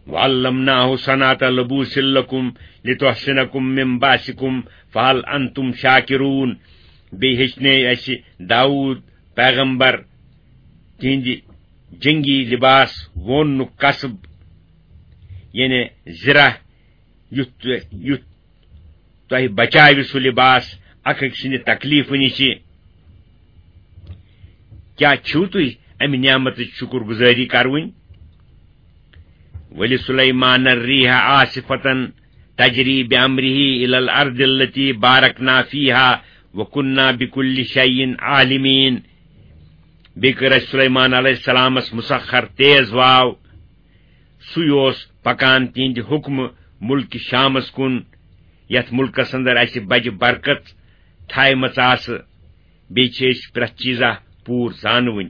وَعَلَّمْنَاهُ صَنْعَةَ لَبُوسٍ لَكُمْ لِتُحْصِنَكُمْ مِنْ بَأْسِكُمْ فَهَلْ أَنْتُمْ شَاكِرُونَ۔ بیٚیہِ ہیٚچھنٲے اَسہِ داوود پیغمبر تِہنٛدِ جنگی لباس ووننُک کسب، یعنی زِرہ، یُتھ تُہۍ، یُتھ تۄہہِ بچاوِ سُہ لباس اکھ أکۍ سٕنٛدِ تکلیفہٕ نِشہِ۔ کیٛاہ چھِو تُہۍ امہِ نعمتٕچ شُکر گُزٲری کرٕوٕنۍ؟ وَلِسُلَیْمَانَ الرِّیحَ عَاصِفَةً تَجْرِی بِأَمْرِهِ إِلَى الْأَرْضِ الَّتِی بَارَکْنَا فِیہا وَکُنَّا بِکُلِّ شَیْءٍ عَالِمِین۔ بیٚیہِ کٔر اَسہِ سُلیمان علیہ السلامس مُسخر تیز واو۔ سُے اوس پکان تِہنٛدِ حُکمہٕ مُلکہِ شامس کُن، یتھ مُلکس اندر اَسہِ بجہِ برکت تھایمژ آسہٕ۔ بیٚیہِ چھِ أسۍ پرٛٮ۪تھ چیٖزا پوٗرٕ زانوٕنۍ۔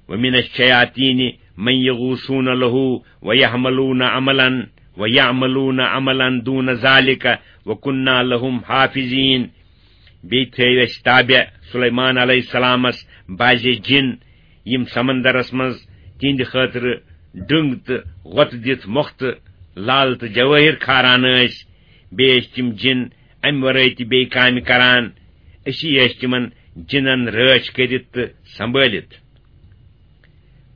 وَمِنَ الشَّیَاطِینِ مَن یَغُوصُونَ لَهُ وَیَعْمَلُونَ عَمَلًا، وَیَعْمَلُونَ عَمَلًا دُونَ ذَلِکَ وَکُنَّا لَهُم حَافِظِین۔ بیٚیہِ تھٲوۍ اَسہِ تابع سلیمان علیہ السلامس بعضے جِن، یِم سمندرس منٛز تِہنٛدِ خٲطرٕ ڈٔنگ تہٕ غۄطہٕ دِتھ مۄختہٕ، لال تہٕ جوٲہِر کھاران ٲسۍ۔ بیٚیہِ ٲسۍ تِم جِن امہِ ورٲے تہِ بیٚیہِ کامہِ کران۔ أسی ٲسۍ تِمن جِنن رٲچھ کٔرِتھ تہٕ سنبھٲلِتھ۔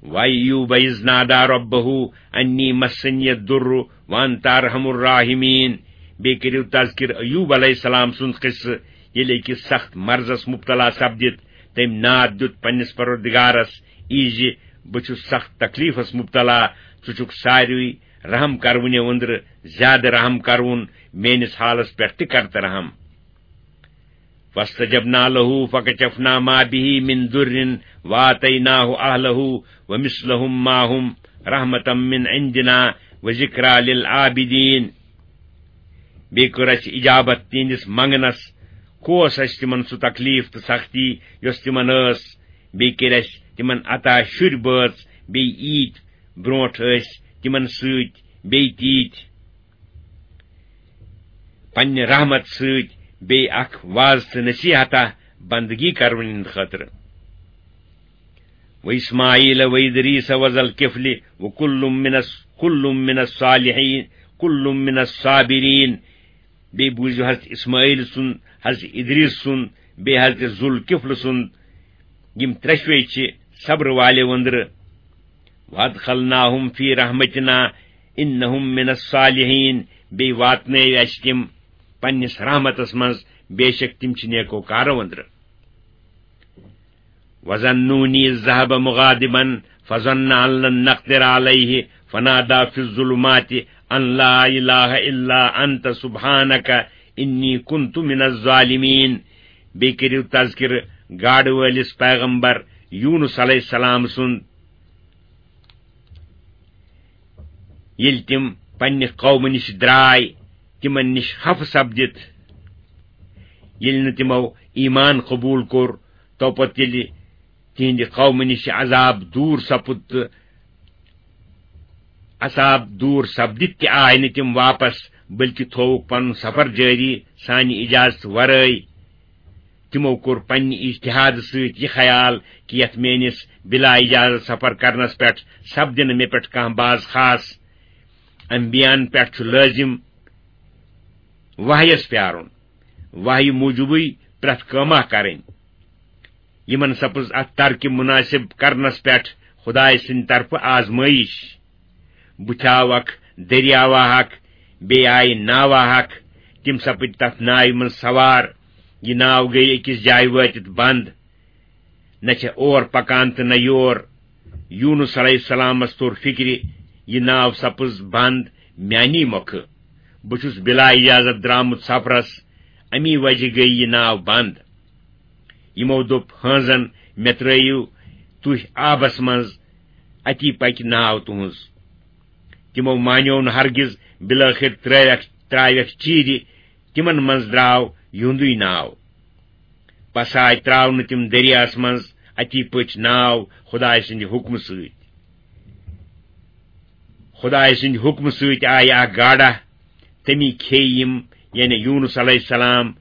وَأَیُّوبَ إِذْ نَادَىٰ رَبَّهُ أَنِّی مَسَّنِیَ الضُّرُّ وَأَنتَ أَرْحَمُ الرَّاحِمِیٖن۔ بیٚیہِ کٔرِو تذکر ایوب علیہ السلام سُنٛد قصہٕ، ییٚلہِ أکِس سخت مرضس مبتلا سپدِتھ تٔمۍ ناد دیُت پننِس پروردگارس، یہِ زِ بہٕ چھُس سخت تکلیفس مبتلا، ژٕ چھُکھ ساروی رحم کرونیو أنٛدرٕ زیادٕ رحم کرون، میٲنِس حالس پٮ۪ٹھ تہِ کر تہٕ رحم۔ فاستجبنا له فكشفنا ما به من ضر وآتيناه أهله ومثلهم معهم رحمة من عندنا وذكرى للعابدين۔ بیٚیہِ کٔر اَسہِ اجابت تِہنٛدِس منگنس، کوس اَسہِ تِمن سُہ تکلیف تہٕ سختی یۄس تِمن ٲس۔ بیٚیہِ کٔرۍ اَسہِ تِمن عطا شُرۍ بٲژ، بیٚیہِ ییٖتۍ برونٛٹھ ٲسۍ تِمن سۭتۍ بیٚیہِ تیٖتۍ۔ پننہِ رحمت سۭتۍ بیٚیہِ اکھ واز تہٕ نصیحتہ بندگی کرونہٕ ہٕنٛدِ خٲطرٕ۔ وَإِسْمَاعِیلَ وَإِدْرِیسَ وَذَا الْکِفْلِ وَکُلٌّ مِّنَ الصَّ-، کُلٌّ مِّنَ الصَّالِحِیٖن، کُلٌّ مِّنَ الصَّابِرِیٖن۔ بیٚیہِ بوٗزِو حضرت اسماعیل سُنٛد، حضرت ادریس سُنٛد، بیٚیہِ حضرت ذوالکفل سُنٛد۔ یِم ترٛٮ۪شوَے چھِ صبرٕ والٮ۪و أنٛدرٕ۔ وَأَدْخَلْنَاهُمْ فِی رَحْمَتِنَا إِنَّهُمْ مِنَ الصَّالِحِیٖن۔ بیٚیہِ واتنٲوۍ اَسہِ تِم پننِس رحمتس منٛز، بے شک تِم چھِ نیکوکارو أنٛدرٕ۔ وَذَا النُّونِ إِذْ ذَهَبَ مُغَاضِبًا فَظَنَّ أَن لَّن نَّقْدِرَ عَلَيْهِ فَنَادَىٰ فِي الظُّلُمَاتِ أَن لَّا إِلَٰهَ إِلَّا أَنتَ سُبْحَانَكَ إِنِّی كُنتُ مِنَ الظَّالِمِینَ۔ بیٚیہِ کٔرِو تذکرٕ گاڈٕ وٲلِس پیغمبر یونس علیہ السلام سُنٛد، ییٚلہِ تِم پننہِ قومہٕ نِش درٛاے، تِمن نِش خفہٕ سپدِتھ، ییٚلہِ نہٕ تِمو ایمان قبوٗل کوٚر، تو پتہٕ ییٚلہِ تِہنٛدِ قومہٕ نِش عذاب دوٗر سپُد تہٕ عذاب دوٗر سپدِتھ تہِ آے نہٕ تِم واپس، بلکہِ تھووُکھ پنُن سفر جٲری سانہِ اجازتہٕ ورٲے۔ تِمو کوٚر پننہِ اجتہادٕ سۭتۍ یہِ خیال کہِ یتھ میٲنِس بلا اجازت سفر کرنس پٮ۪ٹھ سپدِ نہٕ مےٚ پٮ۪ٹھ کانٛہہ باز خاص۔ انبیاہن پٮ۪ٹھ چھُ لٲزِم وحیس پیارُن، وحی موٗجوٗبٕے پرٛٮ۪تھ کٲمہ کرٕنۍ۔ یِمن سپٕز اتھ ترکہِ مناسب کرنس پٮ۪ٹھ خدایہِ سٕنٛدِ طرفہٕ آزمٲیِش۔ بُتھِ آو اکھ دٔریاوا اکھ، بیٚیہِ آیہِ ناوا اکھ۔ تِم سپٕدۍ تتھ ناوِ منٛز سوار۔ یہِ ناو گٔیہِ أکِس جایہِ وٲتِتھ بند۔ نہ چھےٚ اور پکان تہٕ نہ یور۔ یونس علیہ السلامس توٚر فکرِ، یہِ ناو سپٕز بند میانی مۄکھٕ۔ بہٕ چھُس بلا اجازت درامُت سفرس، امی وجہ گٔیہِ یہِ ناو بند۔ یِمو دوٚپ ہٲنزن، مےٚ ترٲیِو تُہۍ آبس منٛز، اتی پکہِ ناو تُہنٛز۔ تِمو مانیو نہٕ ہرگز، بالٲخر ترٲوکھ، ترٛاوکھ چیٖرِ، تِمن منٛز درٛاو یِہُنٛدُے ناو۔ پس آے ترٛاونہٕ تِم دٔریاہس منٛز، اتی پٔچ ناو خدایہِ سٕنٛدِ حُکمہٕ سۭتۍ۔ خدایہِ سٕنٛدِ حُکمہٕ سۭتۍ آیہِ اکھ گاڈا، تٔمی کھیٚیہِ یِم، یعنی یونس علیہ السلام۔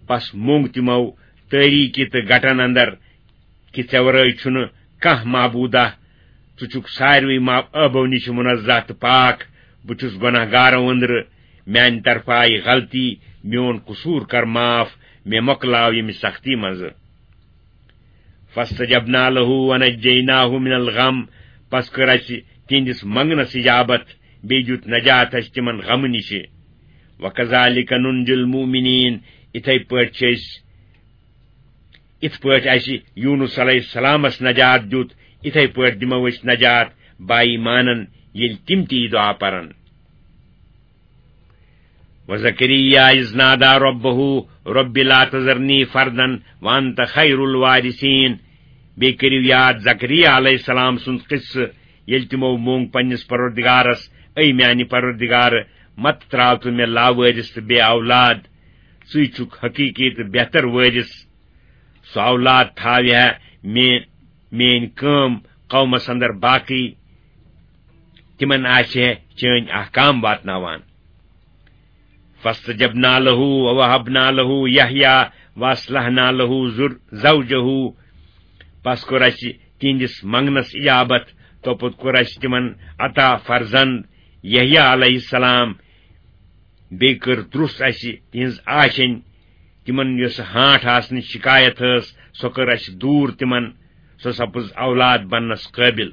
پس موٚنگ تِمو تٲریٖکی تہٕ گٹن اندر کہِ ژےٚ ورٲے چھُنہٕ کانٛہہ معبوٗدہ، ژٕ چھُکھ ساروٕے ما-، عٲبو نِش منزہ تہٕ پاک، بہٕ چھُس گۄناہ گارو أنٛدرٕ، میانہِ طرفہٕ آیہِ غلطی، میون قصوٗر کر معاف، مےٚ مۄکلاو ییٚمہِ سختی منٛزٕ۔ فاستجبنا له ونجیناه من الغم، پس کٔر اسہِ تِہنٛدِس منگنس اجابت، بیٚیہِ دیُت نجات اَسہِ تِمن غمہٕ نِشہِ۔ وَكَذَلِكَ نُنْجِي الْمُؤْمِنِينَ، یِتھے پٲٹھۍ چھِ أسۍ، یِتھ پٲٹھۍ اَسہِ یوٗنُس علیہ السلامس نجات دیُت، یِتھے پٲٹھۍ دِمو أسۍ نجات با ایمانن، ییٚلہِ تِم تہِ یہِ دعا پرن۔ وَزَكَرِيَّا إِذْ نَادَىٰ رَبَّهُ رَبِّ لَا تَذَرْنِي فَرْدًا وَأَنْتَ خَيْرُ الْوَارِثِينَ۔ بیٚیہِ کٔرِو یاد زکریا علیہ السلام سُنٛد قصہٕ، ییٚلہِ تِمو مونگ پننِس پروردگارس، اے میانہِ پروردگار، مت تراو تہٕ مےٚ لاوٲرث تہٕ بے اولاد، ژٕے چھُکھ حقیقی تہٕ بہتر وٲرث۔ سُہ اولاد تھاوِ ہا مے-، میٲنۍ کٲم قومس اندر باقی، تِمن آسہِ ہے چٲنۍ احکام واتناوان۔ فاستجبنا له ووهبنا له يحيى واصلحنا له زر-، زوجه۔ پس کوٚر اسہِ تِہنٛدِس منگنس اجابت، توپتہٕ کوٚر اسہِ تِمن عطا فرزند یحییٰ علیہ السلام۔ بیٚیہِ کٔر درُس اسہِ تِہنٛز آشینۍ، تِمن یۄس ہانٛٹھ آسنٕچ شکایت ٲس، سۄ کٔر اسہِ دوٗر تِمن، سۄ سپٕز اولاد بننس قٲبل۔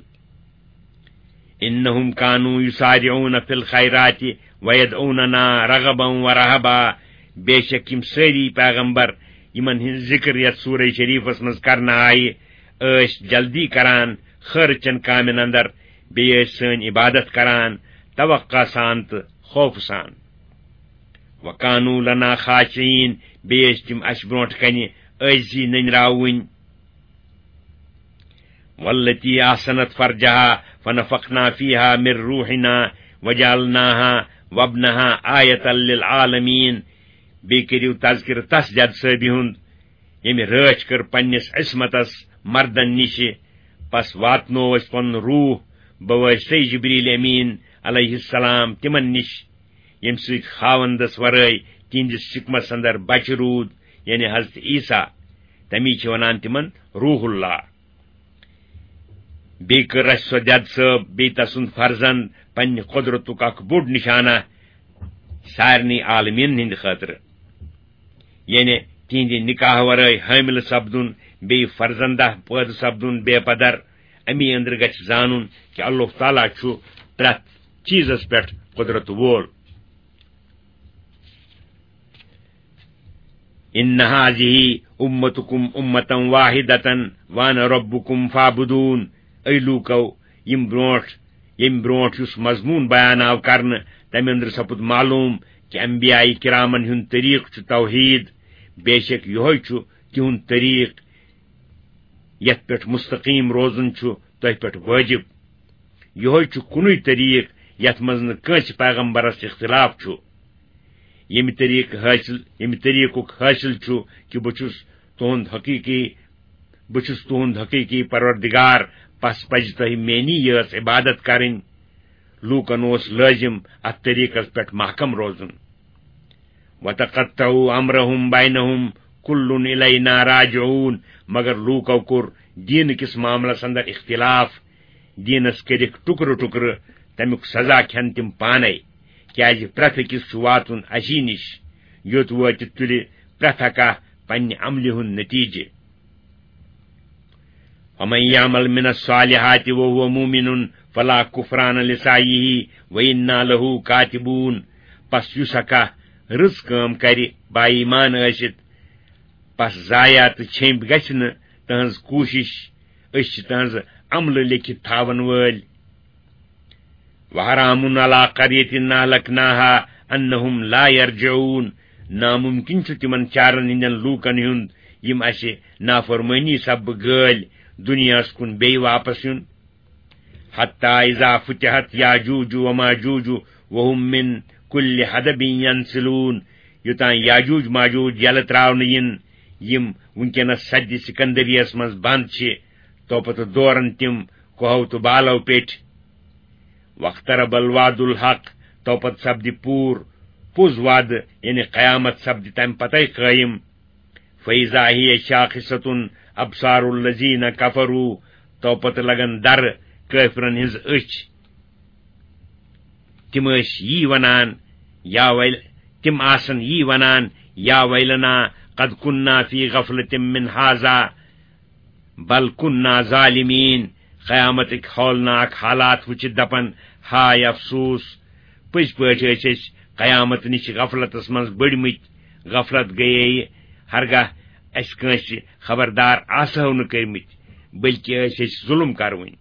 انہم کانوا یسارعون فی الخیرات ویدعوننا رغبا ورہبا۔ بے شک یِم سٲری پیغمبر، یِمن ہٕنٛز ذکر یتھ سورہ شریفس منٛز کرنہٕ آیہِ، ٲسۍ جلدی کران خٲرٕچن کامٮ۪ن اندر، بیٚیہِ ٲسۍ سٲنۍ عبادت کران توقع سان تہٕ خوفہٕ سان۔ وکانوا لنا خاشعین، بیٚیہِ ٲسۍ تِم اسہِ برونٛٹھ کنہِ عٲجزی نٔنراوٕنۍ۔ والتی احصنت فرجها فنفخنا فيها من روحنا وجعلناها وابنها آية للعالمين۔ بیٚیہِ کٔرِو تذکرٕ تس جد صٲبہِ ہُنٛد، ییٚمہِ رٲچھ کٔر پننِس عصمتس مردن نِشہِ، پس واتنوو اسہِ پنُن روح بوٲسطے جبریل امین علیہ السلام تِمن نِش، ییٚمہِ سۭتۍ خاوندس ورٲے تِہنٛدِس شکمس اندر بچہِ روٗد، یعنی حضرت عیسیٰ۔ تمی چھِ ونان تِمن روح اللہ۔ بیٚیہِ کٔر اسہِ سۄ دٮ۪د صٲب، بیٚیہِ تسُنٛد فرزند پننہِ قۄدرتُک اکھ بوٚڑ نشانہ سارنٕے عالمیٖنن ہٕنٛدِ خٲطرٕ۔ یعنی تِہنٛدِ نکاح ورٲے حٲملہٕ سپدُن، بیٚیہِ فرزندہ پٲدٕ سپدُن بے پدر۔ امی أنٛدرٕ گژھِ زانُن کہِ اللہ تعالیٰ چھُ پرٛٮ۪تھ چیٖزس پٮ۪ٹھ قۄدرت وول۔ ان هذه امتكم امة واحدة وانا ربكم فاعبدون۔ اے لوٗکو، یِم برونٛٹھ، ییٚمہِ برونٛٹھ یُس مضموٗن بیان آو کرنہٕ، تمہِ أنٛدرٕ سپُد معلوم کہِ انبیاء کرامن ہُنٛد طریٖقہٕ چھُ توحیٖد۔ بے شک یِہوٚے چھُ تِہُنٛد طریٖقہٕ، یتھ پٮ۪ٹھ مستقیٖم روزُن چھُ تۄہہِ پٮ۪ٹھ وٲجِب۔ یِہوٚے چھُ کُنُے طریٖقہٕ یتھ منٛز نہٕ کٲنٛسہِ پیغمبرس اختلاف چھُ۔ ییٚمہِ طریٖقہٕ حٲصِل، ییٚمہِ طریٖقُک حٲصِل چھُ کہِ بہٕ چھُس تُہُنٛد حقیٖقی، بہٕ چھُس تُہُنٛد حقیٖقی پروردگار، پس پزِ تۄہہِ میٛٲنی یٲژ عبادت کرٕنۍ۔ لوٗکن اوس لٲزِم اتھ طریٖقس پٮ۪ٹھ محکم روزُن۔ وتقطعوا امرهم بینهم کل الینا راجعون۔ مگر لوٗکو کوٚر دیٖنہٕ کِس معاملس اندر اختلاف، دیٖنس کٔرِکھ ٹُکرٕ ٹُکرٕ، تمیُک سزا کھٮ۪ن تِم پانے، کیازِ پرٛٮ۪تھ أکِس چھُ واتُن اسی نِش، یوٚت وٲتِتھ تُلہِ پرٛٮ۪تھ اکھ پننہِ عملہِ ہُنٛد نتیٖجہٕ۔ ومن یعمل من الصالحات وهو مؤمن فلا کفران لسعیه وانا له کاتبون۔ پس یُس اکھ رٕژ کٲم کرِ با ایمان ٲسِتھ، پس ضایع تہٕ چھیٚمبۍ گژھِ نہٕ تہنٛز کوٗشش، أسۍ چھِ تہنٛز عملہٕ لیکھِتھ تھاون وٲلۍ۔ وحرام علی قریة اہلکناها انہم لا یرجعون۔ ناممکن چھُ تِمن چارن ہٕنٛدٮ۪ن لوٗکن ہُنٛد، یِم اسہِ نافرمٲنی سببہٕ گٲلۍ دُنیاہس کُن بیٚیہِ واپس یُن۔ حتی اذا فتحت یاجوج و ماجوج وهم من کل حدب ینسلون۔ یوٚتام یاجوج ماجوج یلہٕ تراونہٕ یِن، یِم وٕنکیٚنس سدِ سکندریس منٛز بند چھِ، توپتہٕ دورن تِم کوہو تہٕ بالو پیٚٹھۍ۔ واقترب الوعد الحق، توپتہٕ سپدِ پوٗرٕ پوٚز وعدٕ، یعنی قیامت سپدِ تمہِ پتے قٲیِم۔ فاذا هي شاخصة ابصار الذين كفروا، توپتہٕ لگن درٕ کٲفرن ہٕنٛز أچھ۔ تِم ٲسۍ یی ونان، یا ویل-، تِم آسن یی ونان، یا ویلنا قد كنا في غفلة من هذا بل كنا ظالمين۔ قیامتٕکۍ ہولناک حالات وٕچھِتھ دپن، ہاے افسوس! پٔزۍ پٲٹھۍ ٲسۍ أسۍ قیامت نِش غفلتس منٛز بٔڑمٕتۍ۔ غفلت گٔیے ہرگاہ اَسہِ کٲنٛسہِ خبردار آسہو نہٕ کٔرمٕتۍ، بلکہِ ٲسۍ أسۍ ظُلم کروٕنۍ۔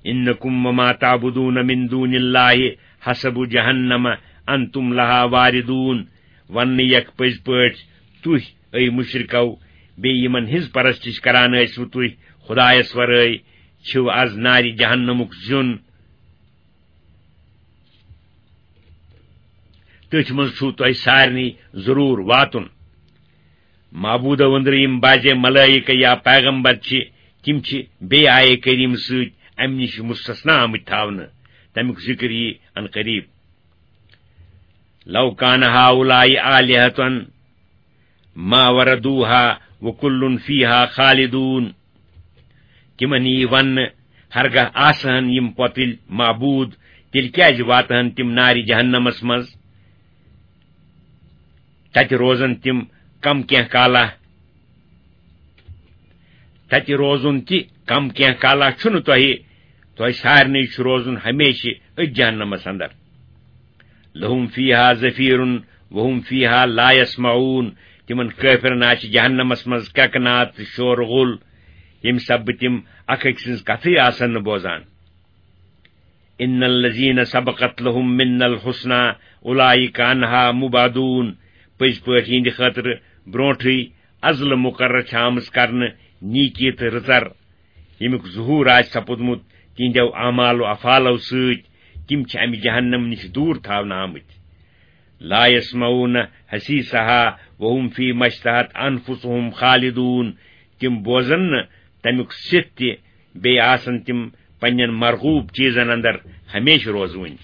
انکم وما تعبدون من دون اللہ حصب جہنم انتم لہا واردون۔ وننہٕ یکھ پٔزۍ پٲٹھۍ تُہۍ، اے مشرکو، بیٚیہِ یِمن ہٕنٛز پرستش کران ٲسوٕ تُہۍ خدایس ورٲے، چھِو از نارِ جہنمُک زیُن۔ تٔتھۍ منٛز چھُو تۄہہِ سارنٕے ضروٗر واتُن۔ معبوٗدو أنٛدرٕ یِم بعضے ملٲیکہٕ یا پیغمبر چھِ، تِم چھِ بیٚیہِ آیے کریٖم سۭتۍ اَمہِ نِش مُستثنا آمٕتۍ تھاونہٕ۔ تَمیُک ذِکر یِیہِ عن قریٖب۔ لو کان ہؤلاء آلہة ما وردوها وكل فيها خالدون۔ تِمن یی وننہٕ، ہرگاہ آسہٕ ہن یِم پۄتٕلۍ معبوٗد، تیٚلہِ کیازِ واتہٕ ہن تِم نارِ جہنمس منٛز؟ تتہِ روزن تِم کم کینٛہہ کالا، تتہِ روزُن تہِ کم کینٛہہ کالا چھُنہٕ تۄہہِ، تۄہہِ سارنٕے چھُ روزُن ہمیشہِ أتھۍ جہنمس اندر۔ لهم فيها زفير وهم فيها لا يسمعون۔ تِمن کٲفرن آسہِ جہنمس منٛز کرٛٮ۪کہٕ ناد تہٕ شور غُل، ییٚمہِ سببہٕ تِم اکھ أکۍ سٕنٛز کتھٕے آسن نہٕ بوزان۔ ان الذين سبقت لهم منا الحسنى اولئك عنها مبعدون۔ پٔزۍ پٲٹھۍ یِہنٛدِ خٲطرٕ برونٹھٕے ازلہٕ مقرر چھےٚ آمٕژ کرنہٕ نیکی تہٕ رٕژر، ییٚمیُک ظہوٗر آسہِ سپُدمُت تِہنٛدیو اعمال و افعالو سۭتۍ، تِم چھِ امہِ جہنم نِش دوٗر تھاونہٕ آمٕتۍ۔ لا يسمعون حسيسها وهم فيما اشتهت انفسهم خالدون۔ تِم بوزن نہٕ تمیُک سِتھ تہِ، بیٚیہِ آسن تِم پننٮ۪ن مرغوب چیزن اندر ہمیشہِ روزوٕنۍ۔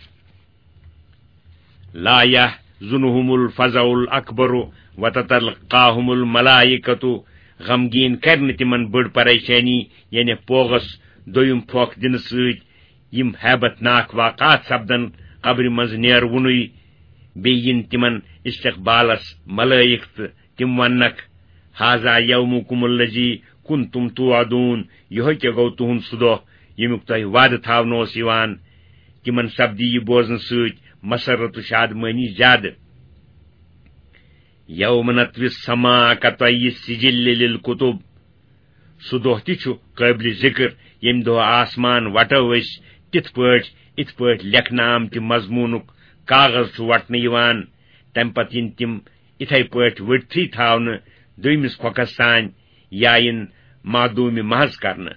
لا يحزنهم الفزع الاكبر وتتلقاهم الملائكة۔ غمگیٖن کرِ نہٕ تِمن بٔڑ پریشٲنی، یعنی پوغس دوٚیِم پھۄکھ دِنہٕ سۭتۍ، یِم ہیبت ناک واقعات سپدن قبرِ منٛز نیرٕ وُنُے۔ بیٚیہِ یِن تِمن استقبالس ملٲیِک تہٕ تِم وننکھ، هذا يومكم الذي كنتم توعدون، یِہوٚے کیٛاہ گوٚو تُہُنٛد سُہ دۄہ، ییٚمیُک تۄہہِ وعدٕ تھاونہٕ اوس یِوان؟ تِمن سپدِ یہِ بوزنہٕ سۭتۍ مسرت و شادمٲنی زیادٕ۔ يوم نطوي السماء كطي السجل للكتب۔ سُہ دۄہ تہِ چھُ قٲبلِ ذِکر، ییٚمہِ دۄہ آسمان وٹو أسۍ تِتھ پٲٹھۍ، یِتھ پٲٹھۍ لیکھنہٕ آمتہِ مضموٗنُک کاغذ چھُ وٹنہٕ یِوان۔ تَمہِ پتہٕ یِن تِم یِتھے پٲٹھۍ ؤٹتھٕے تھاونہٕ دوٚیمِس پھۄکھس تانۍ، یا یِن معدوٗمِ محض کرنہٕ۔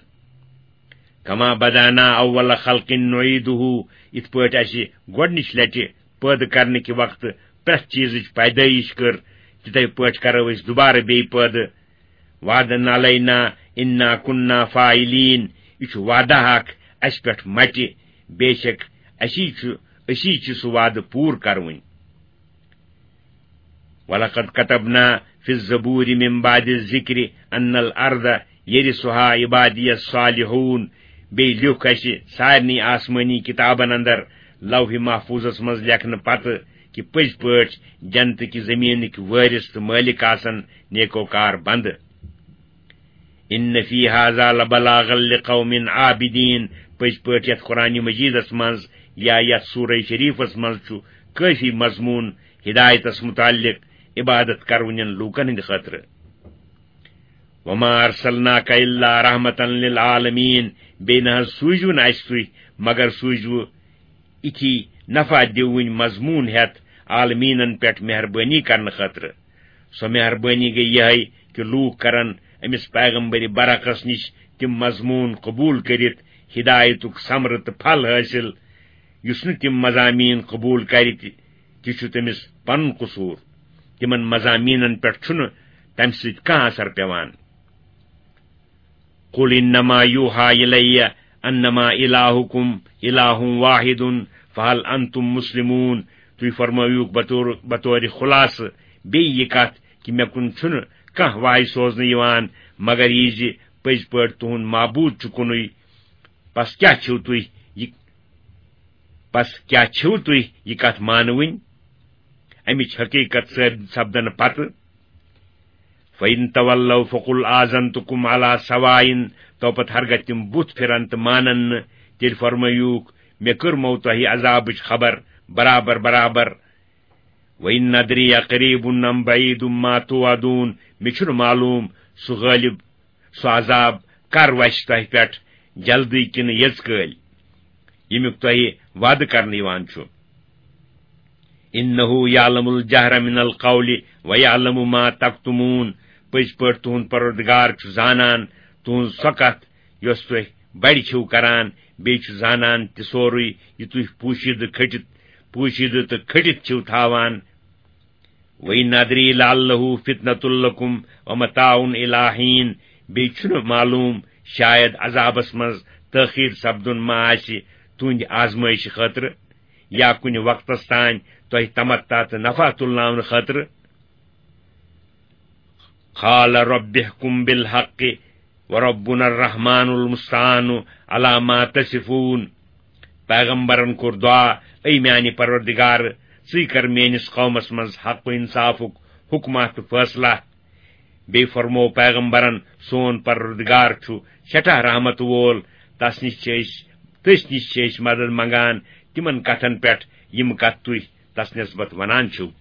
كما بدأنا أول خلق نعيده، یِتھ پٲٹھۍ اَسہِ گۄڈٕنِچ لٹہِ پٲدٕ کرنہٕ کہِ وقتہٕ پرٛٮ۪تھ چیٖزٕچ پیدٲیِش کٔر، تِتھے پٲٹھۍ کرو أسۍ دُبارٕ بیٚیہِ پٲدٕ۔ وعدا علينا إنا كنا فاعلين، یہِ چھُ وعدہ اکھ اَسہِ پٮ۪ٹھ مٹہِ، بے شک اَسی چھُ، أسی چھِ سُہ وعدٕ پوٗرٕ کرٕوٕنۍ۔ ولقد كتبنا في الزبور من بعد الذكر أن الأرض يرثها عبادي الصالحون۔ بیٚیہِ لیوٚکھ اَسہِ سارنٕے آسمٲنی کِتابن اندر لوح محفوظس منٛز لیکھنہٕ پتہٕ کہِ پٔزۍ پٲٹھۍ جنتہٕ کہِ زٔمیٖنٕکۍ وٲرِث تہٕ مٲلِک آسن نیکوکار بندٕ۔ إن في هذا لبلاغا لقوم عابدين۔ پٔزۍ پٲٹھۍ یتھ قرآن مجیدس منٛز یا یتھ سورہ شریفس منٛز چھُ کٲفی مضموٗن ہدایتس متعلق عبادت کرونٮ۪ن لوٗکن ہٕنٛدِ خٲطرٕ۔ وما أرسلناك إلا رحمة للعالمين۔ بیٚیہِ نہ حظ سوٗزِو نہٕ اَسہِ تُہۍ، مگر سوٗزِوٕ یِتھی نفع دِوٕنۍ مضموٗن ہٮ۪تھ عالمیٖنن پٮ۪ٹھ مہربٲنی کرنہٕ خٲطرٕ۔ سۄ مہربٲنی گٔے یِہے کہِ لوٗکھ کرن أمِس پیغمبرِ برحقس نِش تِم مضموٗن قبوٗل کٔرِتھ ہدایتُک ثمرٕ تہٕ پھل حٲصِل۔ یُس نہٕ تِم مضامین قبوٗل کرِ تہِ، تہِ چھُ تٔمِس پنُن قصوٗر۔ تِمن مضامیٖنن پٮ۪ٹھ چھُنہٕ تمہِ سۭتۍ کانٛہہ اثر پٮ۪وان۔ قل إنما يوحى إلي أنما إلهكم إله واحد فهل أنتم مسلمون۔ تُہۍ فرمٲوِو بطور، بطورِ خلاصہٕ بیٚیہِ یہِ کتھ کہِ مےٚ کُن چھُنہٕ کانٛہہ وحی سوزنہٕ یِوان مگر یہِ زِ پٔزۍ پٲٹھۍ تُہُنٛد معبوٗد چھُ کُنُے۔ پس کیٛاہ چھِو تُہۍ یہِ، پس کیٛاہ چھِو تُہۍ یہِ کتھ مانوٕنۍ؟ امِچ حقیقت ثٲبت سپدنہٕ پتہٕ۔ فإن تولوا فقل آذنتكم على سواء۔ تو پتہٕ ہرگاہ تِم بُتھ پھِرن تہٕ مانن نہٕ، تیٚلہِ فرمٲیوٗکھ، مےٚ کٔرمو تۄہہِ عذابٕچ خبر برابر برابر۔ وَإِنْ أَدْرِي أَقَرِيبٌ أَمْ بَعِيدٌ مَا تُوعَدُونَ، مےٚ چھُنہٕ معلوم سُہ غٲلب، سُہ عذاب کر وسہِ تۄہہِ پٮ۪ٹھ، جلدی کِنہٕ یٔژ کٲلۍ، ییٚمیُک تۄہہِ وعدٕ کرنہٕ یِوان چھُ۔ إِنَّهُ يَعْلَمُ الْجَهْرَ مِنَ الْقَوْلِ وَيَعْلَمُ مَا تَكْتُمُونَ، پٔزۍ پٲٹھۍ تُہُنٛد پروردگار چھُ زانان تُہٕنٛز سۄ کتھ یۄس تُہۍ بڑِ چھِو کران، بیٚیہِ چھُ زانان تہِ سورُے یہِ تُہۍ پوشیدٕ کھٔٹِتھ، پوشیدٕ تہٕ کھٔٹِتھ چھِو تھاوان۔ وَإِنْ أَدْرِي لَعَلَّهُ فِتْنَةٌ لَكُمْ وَمَتَاعٌ إِلَىٰ حِينٍ، بیٚیہِ چھُنہٕ معلوم شاید عذابس منٛز تٲخیر سپدُن ما آسہِ تُہنٛدِ آزمٲیشہِ خٲطرٕ یا کُنہِ وقتس تام تۄہہِ تمتع تہٕ نفع تُلناونہٕ خٲطرٕ۔ قَالَ رَبِّ احْكُم بِالْحَقِّ وَرَبُّنَا الرَّحْمَٰنُ الْمُسْتَعَانُ عَلَىٰ مَا تَصِفُونَ۔ پیغمبرن کوٚر دعا، اے میانہِ پروردگار، ژٕے کر میٲنِس قومس منٛز حق و انصافُک حکمہ تہٕ فٲصلہ۔ بیٚیہِ فرموو پیغمبرن، سون پروردگار چھُ سٮ۪ٹھاہ رحمت وول، تس نِش چھِ أسۍ، تٔسۍ نِش چھِ أسۍ مدد منگان تِمن کتھن پٮ۪ٹھ یِم کتھ تُہۍ تس نسبت ونان چھِو۔